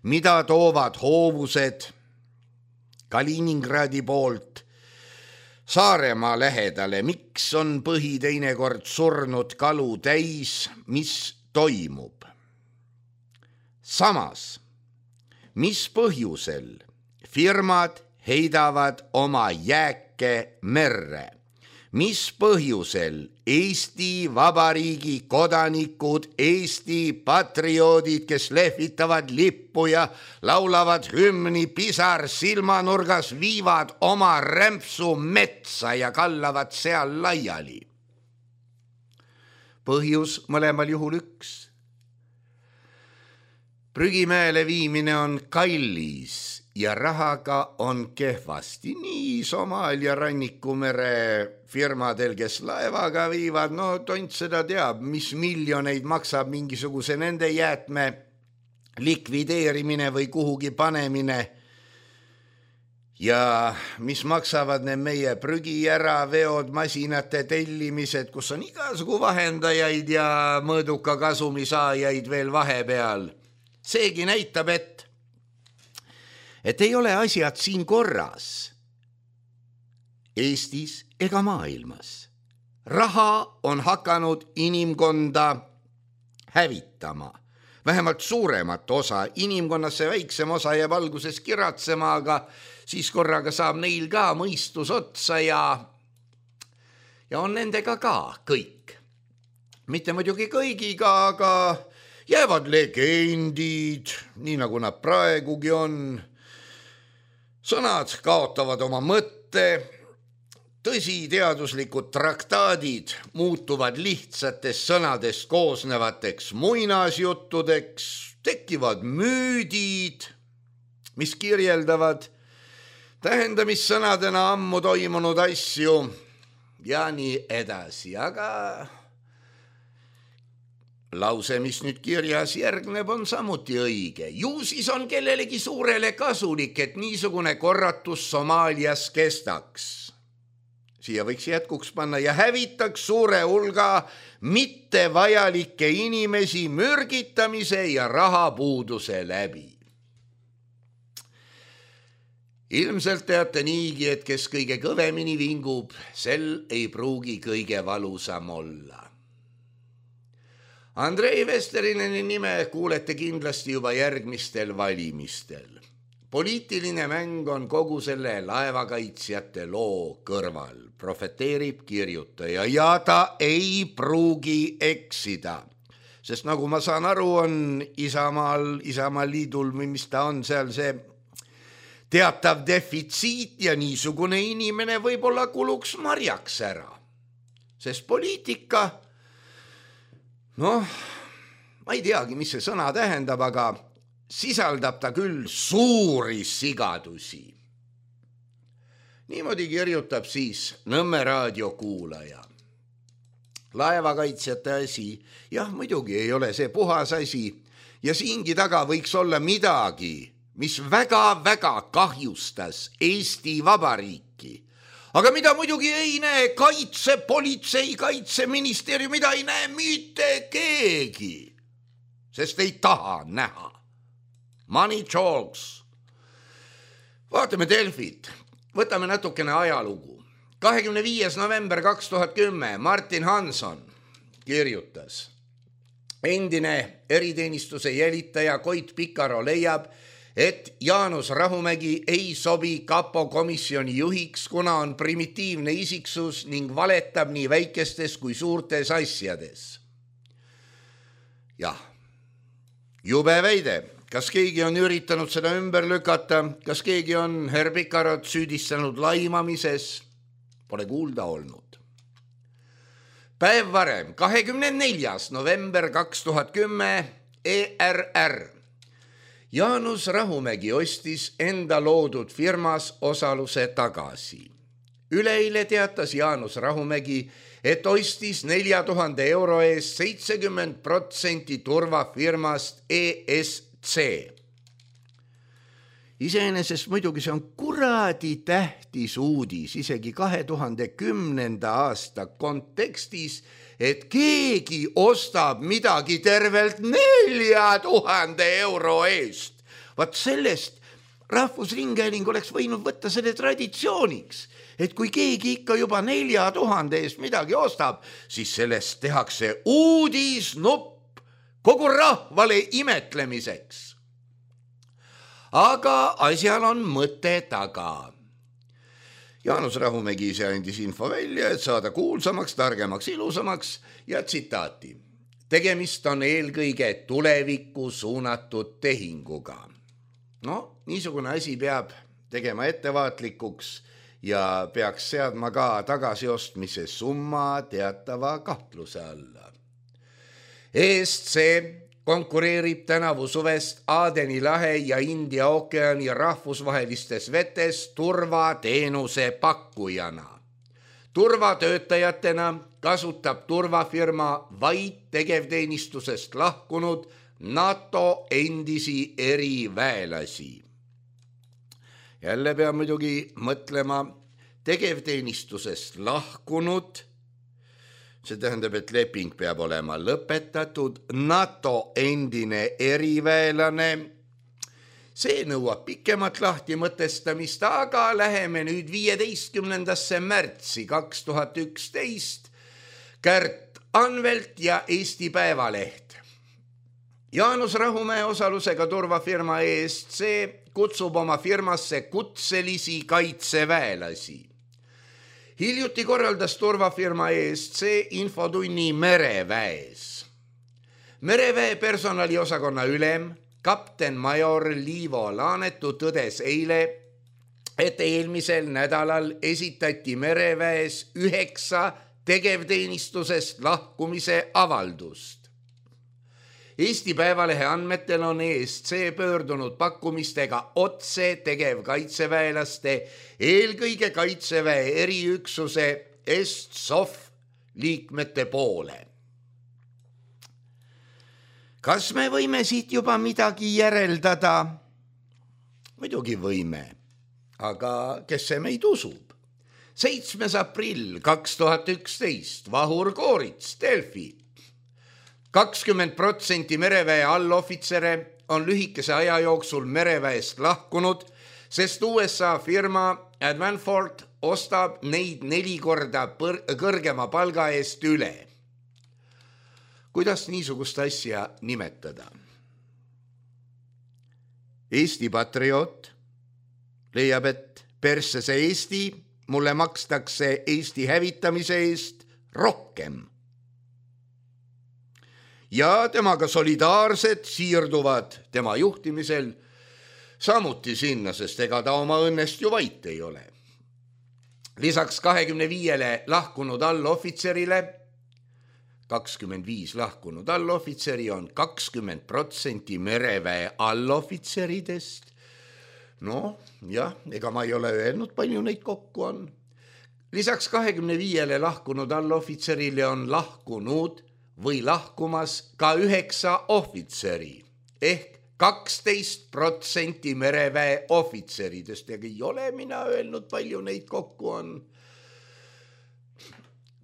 mida toovad hoovused Kaliningradi poolt Saaremaa lähedale, miks on põhi teinekord surnud kalu täis, mis toimub. Samas, mis põhjusel firmad heidavad oma jääke merre? Mis põhjusel Eesti Vabariigi kodanikud, Eesti patrioodid, kes lehvitavad lippu ja laulavad hümni pisar silmanurgas, viivad oma rämpsu metsa ja kallavad seal laiali? Põhjus mõlemal juhul üks. Prügimäele viimine on kallis ja rahaga on kehvasti. Nii Somaalia rannikumere firmadel, kes laevaga viivad, no tont seda teab, mis miljoneid maksab mingisuguse nende jäätme likvideerimine või kuhugi panemine. Ja mis maksavad need meie prügi ära veod, masinate tellimised, kus on igasugu vahendajaid ja mõõduka kasumisaajaid veel vahepeal. Seegi näitab, et et ei ole asjad siin korras Eestis ega maailmas. Raha on hakanud inimkonda hävitama. Vähemalt suuremat osa, inimkonnasse väiksem osa jääb alguses kiratsema, aga siis korraga saab neil ka mõistus otsa ja, ja on nendega ka kõik. Mitte muidugi kõigiga, aga jäävad legendid, nii nagu nad praegugi on. Sõnad kaotavad oma mõtte, tõsi teaduslikud traktaadid muutuvad lihtsatest sõnadest koosnevateks muinasjuttudeks, tekivad müüdid, mis kirjeldavad tähendamissõnadena ammu toimunud asju ja nii edasi, aga lause, mis nüüd kirjas järgneb, on samuti õige. Ju siis on kellelegi suurele kasulik, et niisugune korratus Somaalias kestaks. Siia võiks jätkuks panna ja hävitaks suure hulga mittevajalikke inimesi mürgitamise ja rahapuuduse läbi. Ilmselt teate niigi, et kes kõige kõvemini vingub, sel ei pruugi kõige valusam olla. Andrei Vesterineni nime kuulete kindlasti juba järgmistel valimistel. poliitiline mäng on kogu selle laevakaitsjate loo kõrval, profeteerib kirjutaja ja ta ei pruugi eksida. Sest nagu ma saan aru, on Isamaal, Isamaa liidul, mis ta on seal see teatav defitsiit ja niisugune inimene võib-olla kuluks marjaks ära. Sest poliitika, noh, ma ei teagi, mis see sõna tähendab, aga sisaldab ta küll suuri sigadusi. Niimoodi kirjutab siis Nõmme raadio kuulaja. Laevakaitsjate asi, jah, muidugi ei ole see puhas asi ja siingi taga võiks olla midagi, mis väga-väga kahjustas Eesti Vabariiki. Aga mida muidugi ei näe kaitse, politsei, kaitseministeerium, mida ei näe mitte keegi, sest ei taha näha. Money talks. Vaatame Delfit, võtame natukene ajalugu. kahekümne viies november kaks tuhat kümme Martin Hanson kirjutas. Endine eriteenistuse jälitaja Koit Pikaro leiab, et Jaanus Rahumägi ei sobi kapo komisjoni juhiks, kuna on primitiivne isiksus ning valetab nii väikestes kui suurtes asjades. Jah, jube väide. Kas keegi on üritanud seda ümber lükata? Kas keegi on herr Pikarot süüdistanud laimamises? Pole kuulda olnud. Päev varem, kahekümne neljas november kaks tuhat kümme E R R. Jaanus Rahumägi ostis enda loodud firmas osaluse tagasi. Üleeile teatas Jaanus Rahumägi, et ostis nelja tuhande euro eest seitsekümmend protsenti turvafirmast E S C. Iseenesest muidugi see on kuradi tähtis uudis, isegi kahe tuhande kümnenda aasta kontekstis, et keegi ostab midagi tervelt nelja tuhande euro eest. Vaat sellest Rahvusringhääling oleks võinud võtta selle traditsiooniks, et kui keegi ikka juba nelja tuhande eest midagi ostab, siis sellest tehakse uudisnupp kogu rahvale imetlemiseks. Aga asjal on mõte taga. Jaanus Rahumägi ise andis info välja, et saada kuulsamaks, targemaks, ilusamaks ja tsitaati. Tegemist on eelkõige tulevikku suunatud tehinguga. No, niisugune asi peab tegema ettevaatlikuks ja peaks seadma ka tagasiostmise summa teatava kahtluse alla. E S C konkureerib tänavu suvest Aadeni lahe ja India ookeani rahvusvahelistes vetes turvateenuse pakkujana. Turvatöötajatena kasutab turvafirma vaid tegevteenistusest lahkunud NATO endisi eriväelasi. Jälle peab muidugi mõtlema tegevteenistusest lahkunud. See tähendab, et leping peab olema lõpetatud, NATO endine eriväelane. See nõuab pikemat lahti mõtestamist, aga läheme nüüd viieteistkümnendasse märtsi kaks tuhat üksteist. Kärt Anvelt ja Eesti Päevaleht. Jaanus Rahumäe osalusega turvafirma E S C kutsub oma firmasse kutselisi kaitseväelasi. Hiljuti korraldas turvafirma E S C infotunni mereväes. Mereväe personaliosakonna ülem, kapten major Liivo Laanetu tõdes eile, et eelmisel nädalal esitati mereväes üheksa tegevteenistusest lahkumise avaldust. Eesti Päevalehe andmetel on E S C pöördunud pakkumistega otse tegevkaitseväelaste, eelkõige kaitseväe eriüksuse EstSOF liikmete poole. Kas me võime siit juba midagi järeldada? Muidugi võime, aga kes see meid usub? seitsmes aprill kaks tuhat üksteist, Vahur Koorits, Delfi. kakskümmend protsenti mereväe allohvitsere on lühikese aja jooksul mereväest lahkunud, sest U S A firma Advanford ostab neid neli korda põr- kõrgema palga eest üle. Kuidas niisugust asja nimetada? Eesti Patriot, leiab, et persse see Eesti, mulle makstakse Eesti hävitamise eest rohkem. Ja temaga solidaarsed siirduvad tema juhtimisel samuti sinna, sest ega ta oma õnnest ju vait ei ole. Lisaks kahekümne viiele lahkunud allohvitserile, kakskümmend viis lahkunud allohvitseri on kakskümmend protsenti mereväe allohvitseridest. No jah, ega ma ei ole öelnud, palju neid kokku on. Lisaks kahekümne viiele lahkunud allohvitserile on lahkunud või lahkumas ka üheksa ohvitseri ehk kaksteist protsenti mereväe ohvitseridest. Ja ei ole mina öelnud, palju neid kokku on.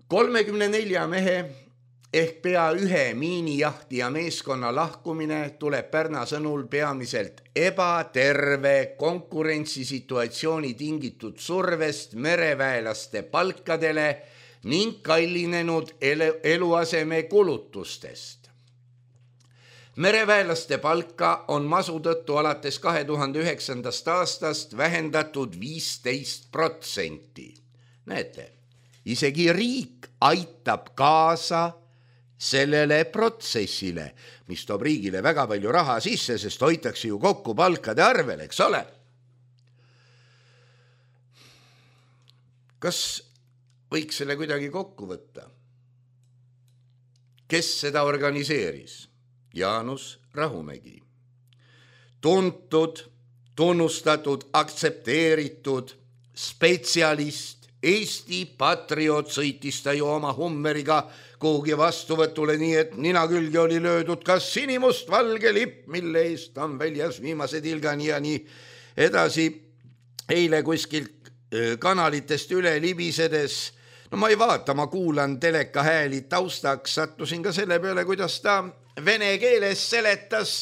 kolmekümne nelja mehe ehk pea ühe miinijahtija meeskonna lahkumine tuleb Pärna sõnul peamiselt ebaterve konkurentsisituatsiooni tingitud survest mereväelaste palkadele ning kallinenud eluaseme kulutustest. Mereväelaste palka on masu tõttu alates kahe tuhande üheksandast aastast vähendatud viisteist protsenti. Näete, isegi riik aitab kaasa sellele protsessile, mis toob riigile väga palju raha sisse, sest hoitakse ju kokku palkade arvel, eks ole? Kas võiks selle kuidagi kokku võtta? Kes seda organiseeris? Jaanus Rahumägi. Tuntud, tunnustatud, aktsepteeritud spetsialist, Eesti patrioot, sõitis ta ju oma Hummeriga kuhugi vastuvõtule, nii et nina külge oli löödud kas sinimust valge lipp, mille eest on väljas viimase tilgani ja nii edasi. Eile kuskilt kanalitest üle libisedes, no ma ei vaata, ma kuulan teleka hääli taustaks, sattusin ka selle peale, kuidas ta vene keeles seletas,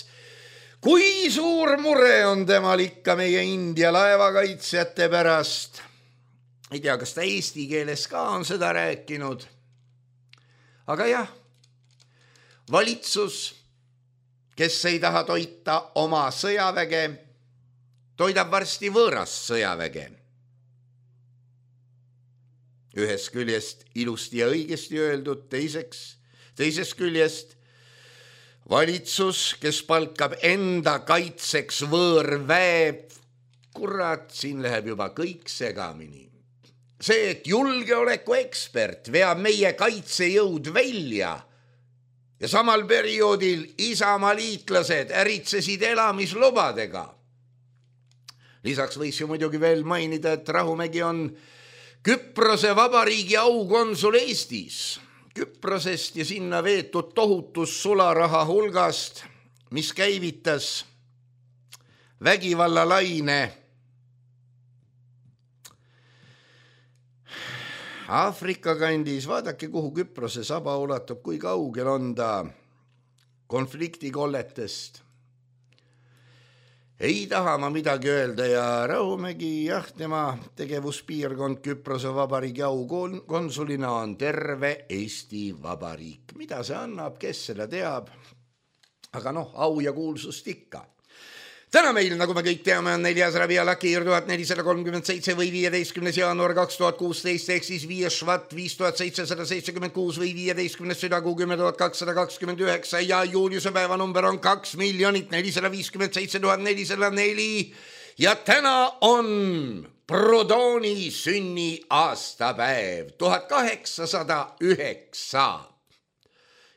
kui suur mure on temal ikka meie India laevakaitsjate pärast. Ei tea, kas ta eesti keeles ka on seda rääkinud. Aga jah, valitsus, kes ei taha toita oma sõjaväge, toidab varsti võõrast sõjaväge. Ühest küljest ilusti ja õigesti öeldud, teiseks, teisest küljest valitsus, kes palkab enda kaitseks võõrväe, kurat, siin läheb juba kõik segamini. See, et julgeoleku ekspert veab meie kaitsejõud välja ja samal perioodil Isamaa liitlased äritsesid elamislubadega. Lisaks võis ju muidugi veel mainida, et Rahumägi on Küprose vabariigi aukonsul Eestis. Küprosest ja sinna veetud tohutus sularaha hulgast, mis käivitas vägivallalaine Aafrika kandis. Vaadake, kuhu Küprose saba ulatub, kui kaugel on ta konfliktikolletest. Ei taha ma midagi öelda ja Rahumägi, jah, tema tegevuspiirkond Küprose vabariigi aukonsulina on terve Eesti Vabariik. Mida see annab, kes seda teab? Aga noh, au ja kuulsust ikka. Täna meil, nagu me kõik teame, on neljas Rabi Alakir tuhat nelisada kolmkümmend seitse või viieteistkümnes jaanuar kaks tuhat kuusteist ehk siis viies Švat viis tuhat seitsesada seitsekümmend kuus või viieteistkümnes Südakuu kümme tuhat kakssada kakskümmend üheksa ja Juliuse päevanumber on kaks miljonit nelisada viiskümmend seitse tuhat nelisada neli ja täna on Proudhoni sünni aastapäev tuhat kaheksasada üheksa.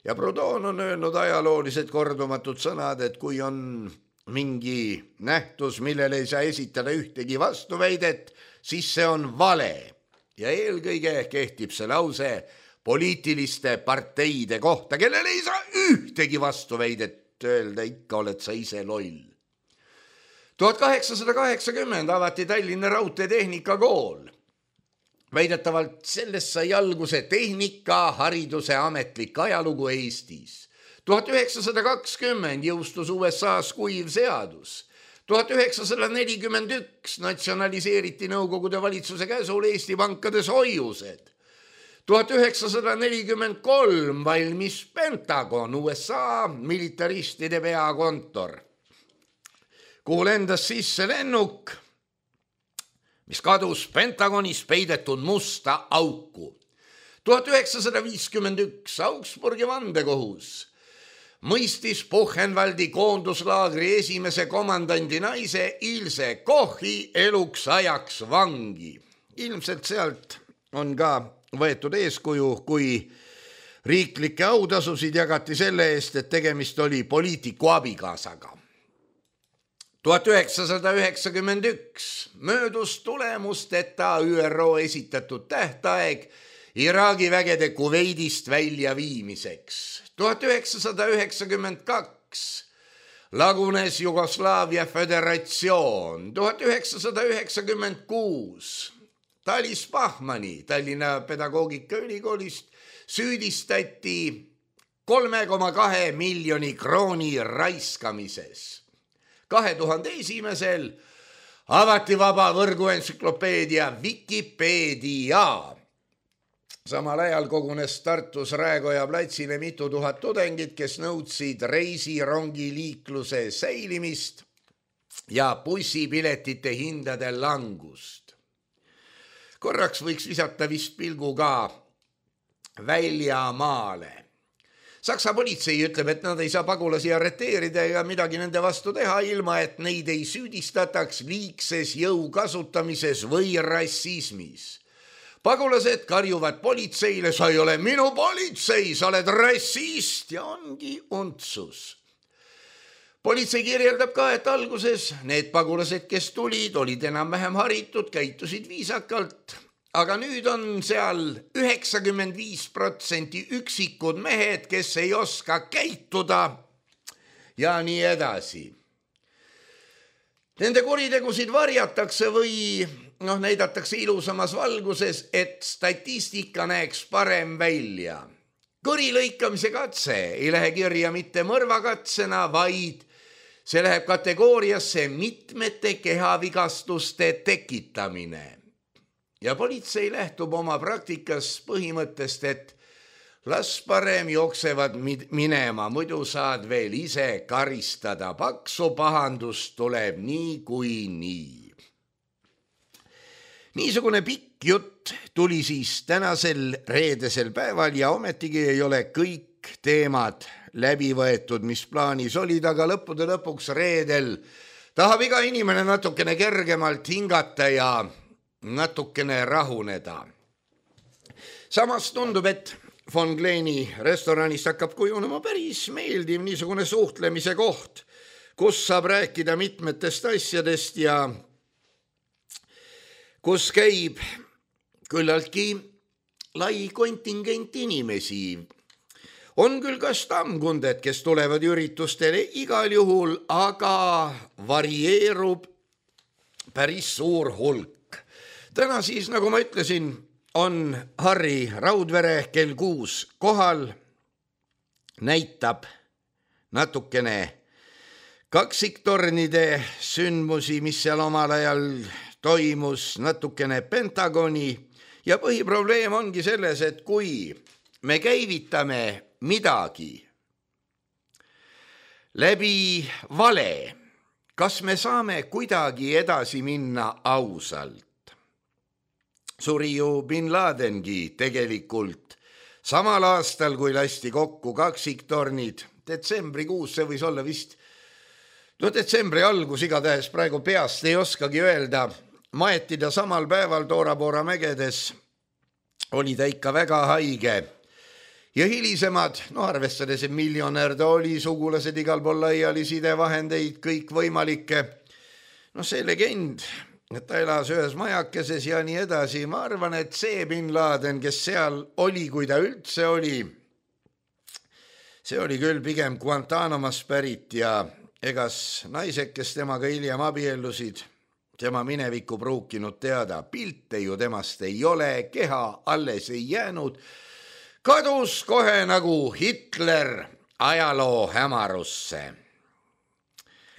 Ja Proudhon on öelnud ajaloolised kordumatud sõnad, et kui on mingi nähtus, millele ei saa esitada ühtegi vastuväidet, siis see on vale. Ja eelkõige kehtib see lause poliitiliste parteide kohta, kellele ei saa ühtegi vastuväidet öelda, ikka oled sa ise loll. tuhat kaheksasada kaheksakümmend avati Tallinna Raudteetehnika-kool. Väidetavalt sellest sai alguse tehnikahariduse ametlik ajalugu Eestis. tuhat üheksasada kakskümmend jõustus U S A-s kuiv seadus. tuhat üheksasada nelikümmend üks natsionaliseeriti Nõukogude valitsuse käsul Eesti pankades hoiused. tuhat üheksasada nelikümmend kolm valmis Pentagon, U S A militaristide peakontor, kuhu lendas sisse lennuk, mis kadus Pentagonis peidetud musta auku. tuhat üheksasada viiskümmend üks Augsburgi vandekohus mõistis Buchenwaldi koonduslaagri esimese komandandi naise Ilse Kochi eluks ajaks vangi. Ilmselt sealt on ka võetud eeskuju, kui riiklikke autasusid jagati selle eest, et tegemist oli poliitiku abikaasaga. tuhat üheksasada üheksakümmend üks möödus tulemusteta Ü R O esitatud tähtaeg Iraagi vägede Kuveidist välja viimiseks. tuhat üheksasada üheksakümmend kaks lagunes Jugoslaavia föderatsioon. tuhat üheksasada üheksakümmend kuus Talis Pahmani Tallinna Pedagoogikaülikoolist süüdistati kolme koma kahe miljoni krooni raiskamises. kahe tuhande esimesel avati vaba võrguentsüklopeedia Vikipeedia. Samal ajal kogunes Tartus Raekoja platsile mitu tuhat tudengit, kes nõudsid reisirongiliikluse säilimist ja bussipiletite hindade langust. Korraks võiks visata vist pilgu ka väljamaale. Saksa politsei ütleb, et nad ei saa pagulasi arreteerida ja midagi nende vastu teha, ilma et neid ei süüdistataks liigses jõu kasutamises või rassismis. Pagulased karjuvad politseile, sa ei ole minu politsei, sa oled rassist ja ongi untsus. Politsei kirjeldab ka, et alguses need pagulased, kes tulid, olid enam-vähem haritud, käitusid viisakalt, aga nüüd on seal üheksakümmend viis protsenti üksikud mehed, kes ei oska käituda ja nii edasi. Nende kuritegusid varjatakse või noh, näidatakse ilusamas valguses, et statistika näeks parem välja. Kõri lõikamise katse ei lähe kirja mitte mõrvakatsena, vaid see läheb kategooriasse mitmete kehavigastuste tekitamine. Ja politsei lähtub oma praktikas põhimõttest, et las parem jooksevad minema, muidu saad veel ise karistada. Paksu pahandust tuleb nii kui nii. Niisugune pikk jutt tuli siis tänasel reedesel päeval ja ometigi ei ole kõik teemad läbi võetud, mis plaanis olid, aga lõppude lõpuks reedel tahab iga inimene natukene kergemalt hingata ja natukene rahuneda. Samas tundub, et von Kleeni restoranist hakkab kujunema päris meeldiv niisugune suhtlemise koht, kus saab rääkida mitmetest asjadest ja kus käib küllaltki lai kontingent inimesi. On küll ka stammkunded, kes tulevad üritustele igal juhul, aga varieerub päris suur hulk. Täna siis, nagu ma ütlesin, on Harri Raudvere kell kuus kohal, näitab natukene kaksiktornide sündmusi, mis seal omal ajal toimus, natukene Pentagoni ja põhiprobleem ongi selles, et kui me käivitame midagi läbi vale, kas me saame kuidagi edasi minna ausalt? Suri ju Bin Ladengi tegelikult samal aastal, kui lasti kokku kaksiktornid, detsembrikuus, see võis olla vist, no detsembri algus igatahes, praegu peast ei oskagi öelda, maeti ta samal päeval Tora-Bora mägedes, oli ta ikka väga haige. Ja hilisemad, no arvestades, et miljonär ta oli, sugulased igal pool laiali, sidevahendeid, kõik võimalikke, no see legend, et ta elas ühes majakeses ja nii edasi, ma arvan, et see Bin Laden, kes seal oli, kui ta üldse oli, see oli küll pigem Guantanamast pärit ja egas naised, kes temaga hiljem abiellusid, tema minevikku pruukinud teada, pilte ju temast ei ole, keha alles ei jäänud, kadus kohe nagu Hitler ajaloo hämarusse.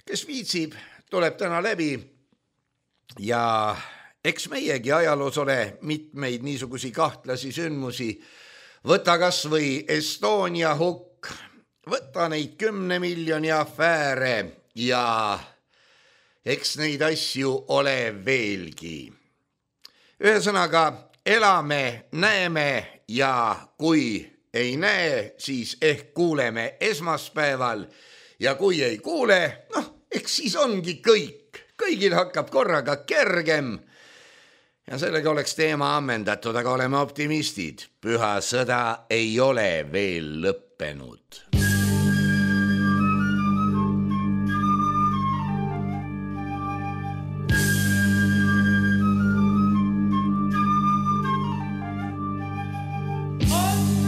Kes viitsib, tuleb täna läbi ja eks meiegi ajaloos ole mitmeid niisugusi kahtlasi sündmusi. Võta kas või Estonia hukk, võta neid kümne miljoni afääre ja eks neid asju ole veelgi. Ühesõnaga, elame, näeme ja kui ei näe, siis ehk kuuleme esmaspäeval ja kui ei kuule, noh, eks siis ongi kõik. Kõigil hakkab korraga kergem. Ja sellega oleks teema ammendatud, aga oleme optimistid. Püha sõda ei ole veel lõppenud.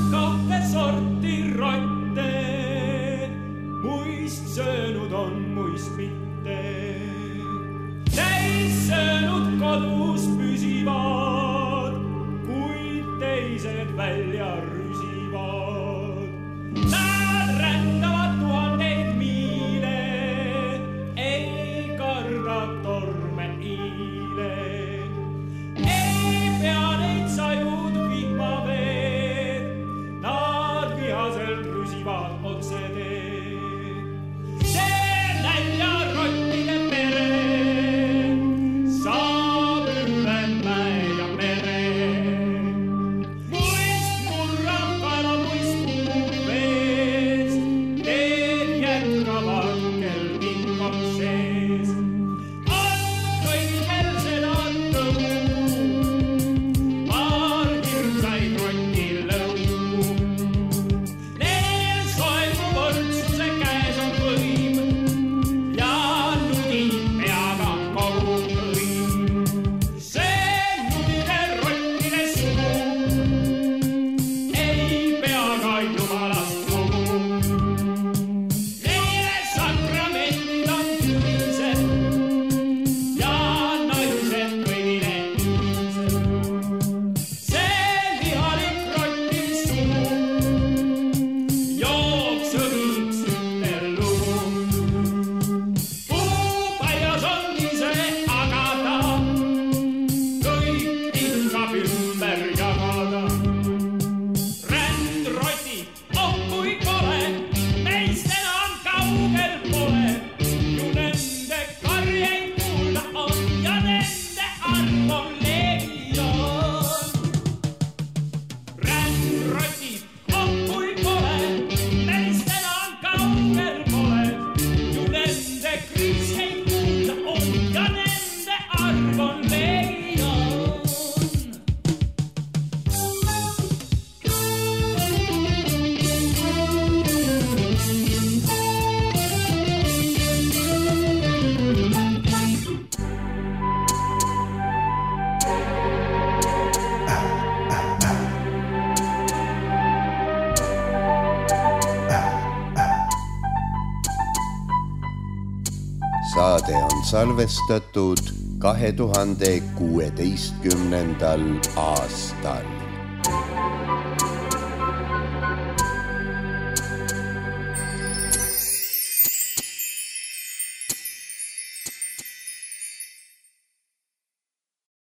Kahte sorti rotte, muist söönud on, muist mitte. Täis söönud kodus püsivad, kuid teised välja rüsivad. Nad rändavad tuhandeid miile, ei karda torme iile. Ei pea neid sajud vihmaveed, nad vihaselt rüsivad otse teed. See nälja rottide pere saab üle mäe ja mere. Muist murrab kaela, muist muud vees, teed jätkavad kel vinkab sees. On kõigil seda tõu, paar hirmsaid rotti lõu. Neil soebu võrdsuse käes on võim ja nudib peaga kogu võim. See nudide rottide sugu ei pea ka jumalast lugu. Neile sakramendid on tühised ja naised kõigile ühised. See lihalik rottide sugu joob sõgiks ühte lugu. Puupaias on ise agada, kõik tilgab ümber jagada. Rändrotid, oh kui kole, meist enam kaugel pole. Ju nende karjeid kuulda on ja nende arv on legion. Rändrotid, oh kui kole, meist enam kaugel pole. Ju nende kriiseid kuulda on ja nende arv on legion.
Saade on salvestatud kahe tuhande kuueteistkümnendal aastal.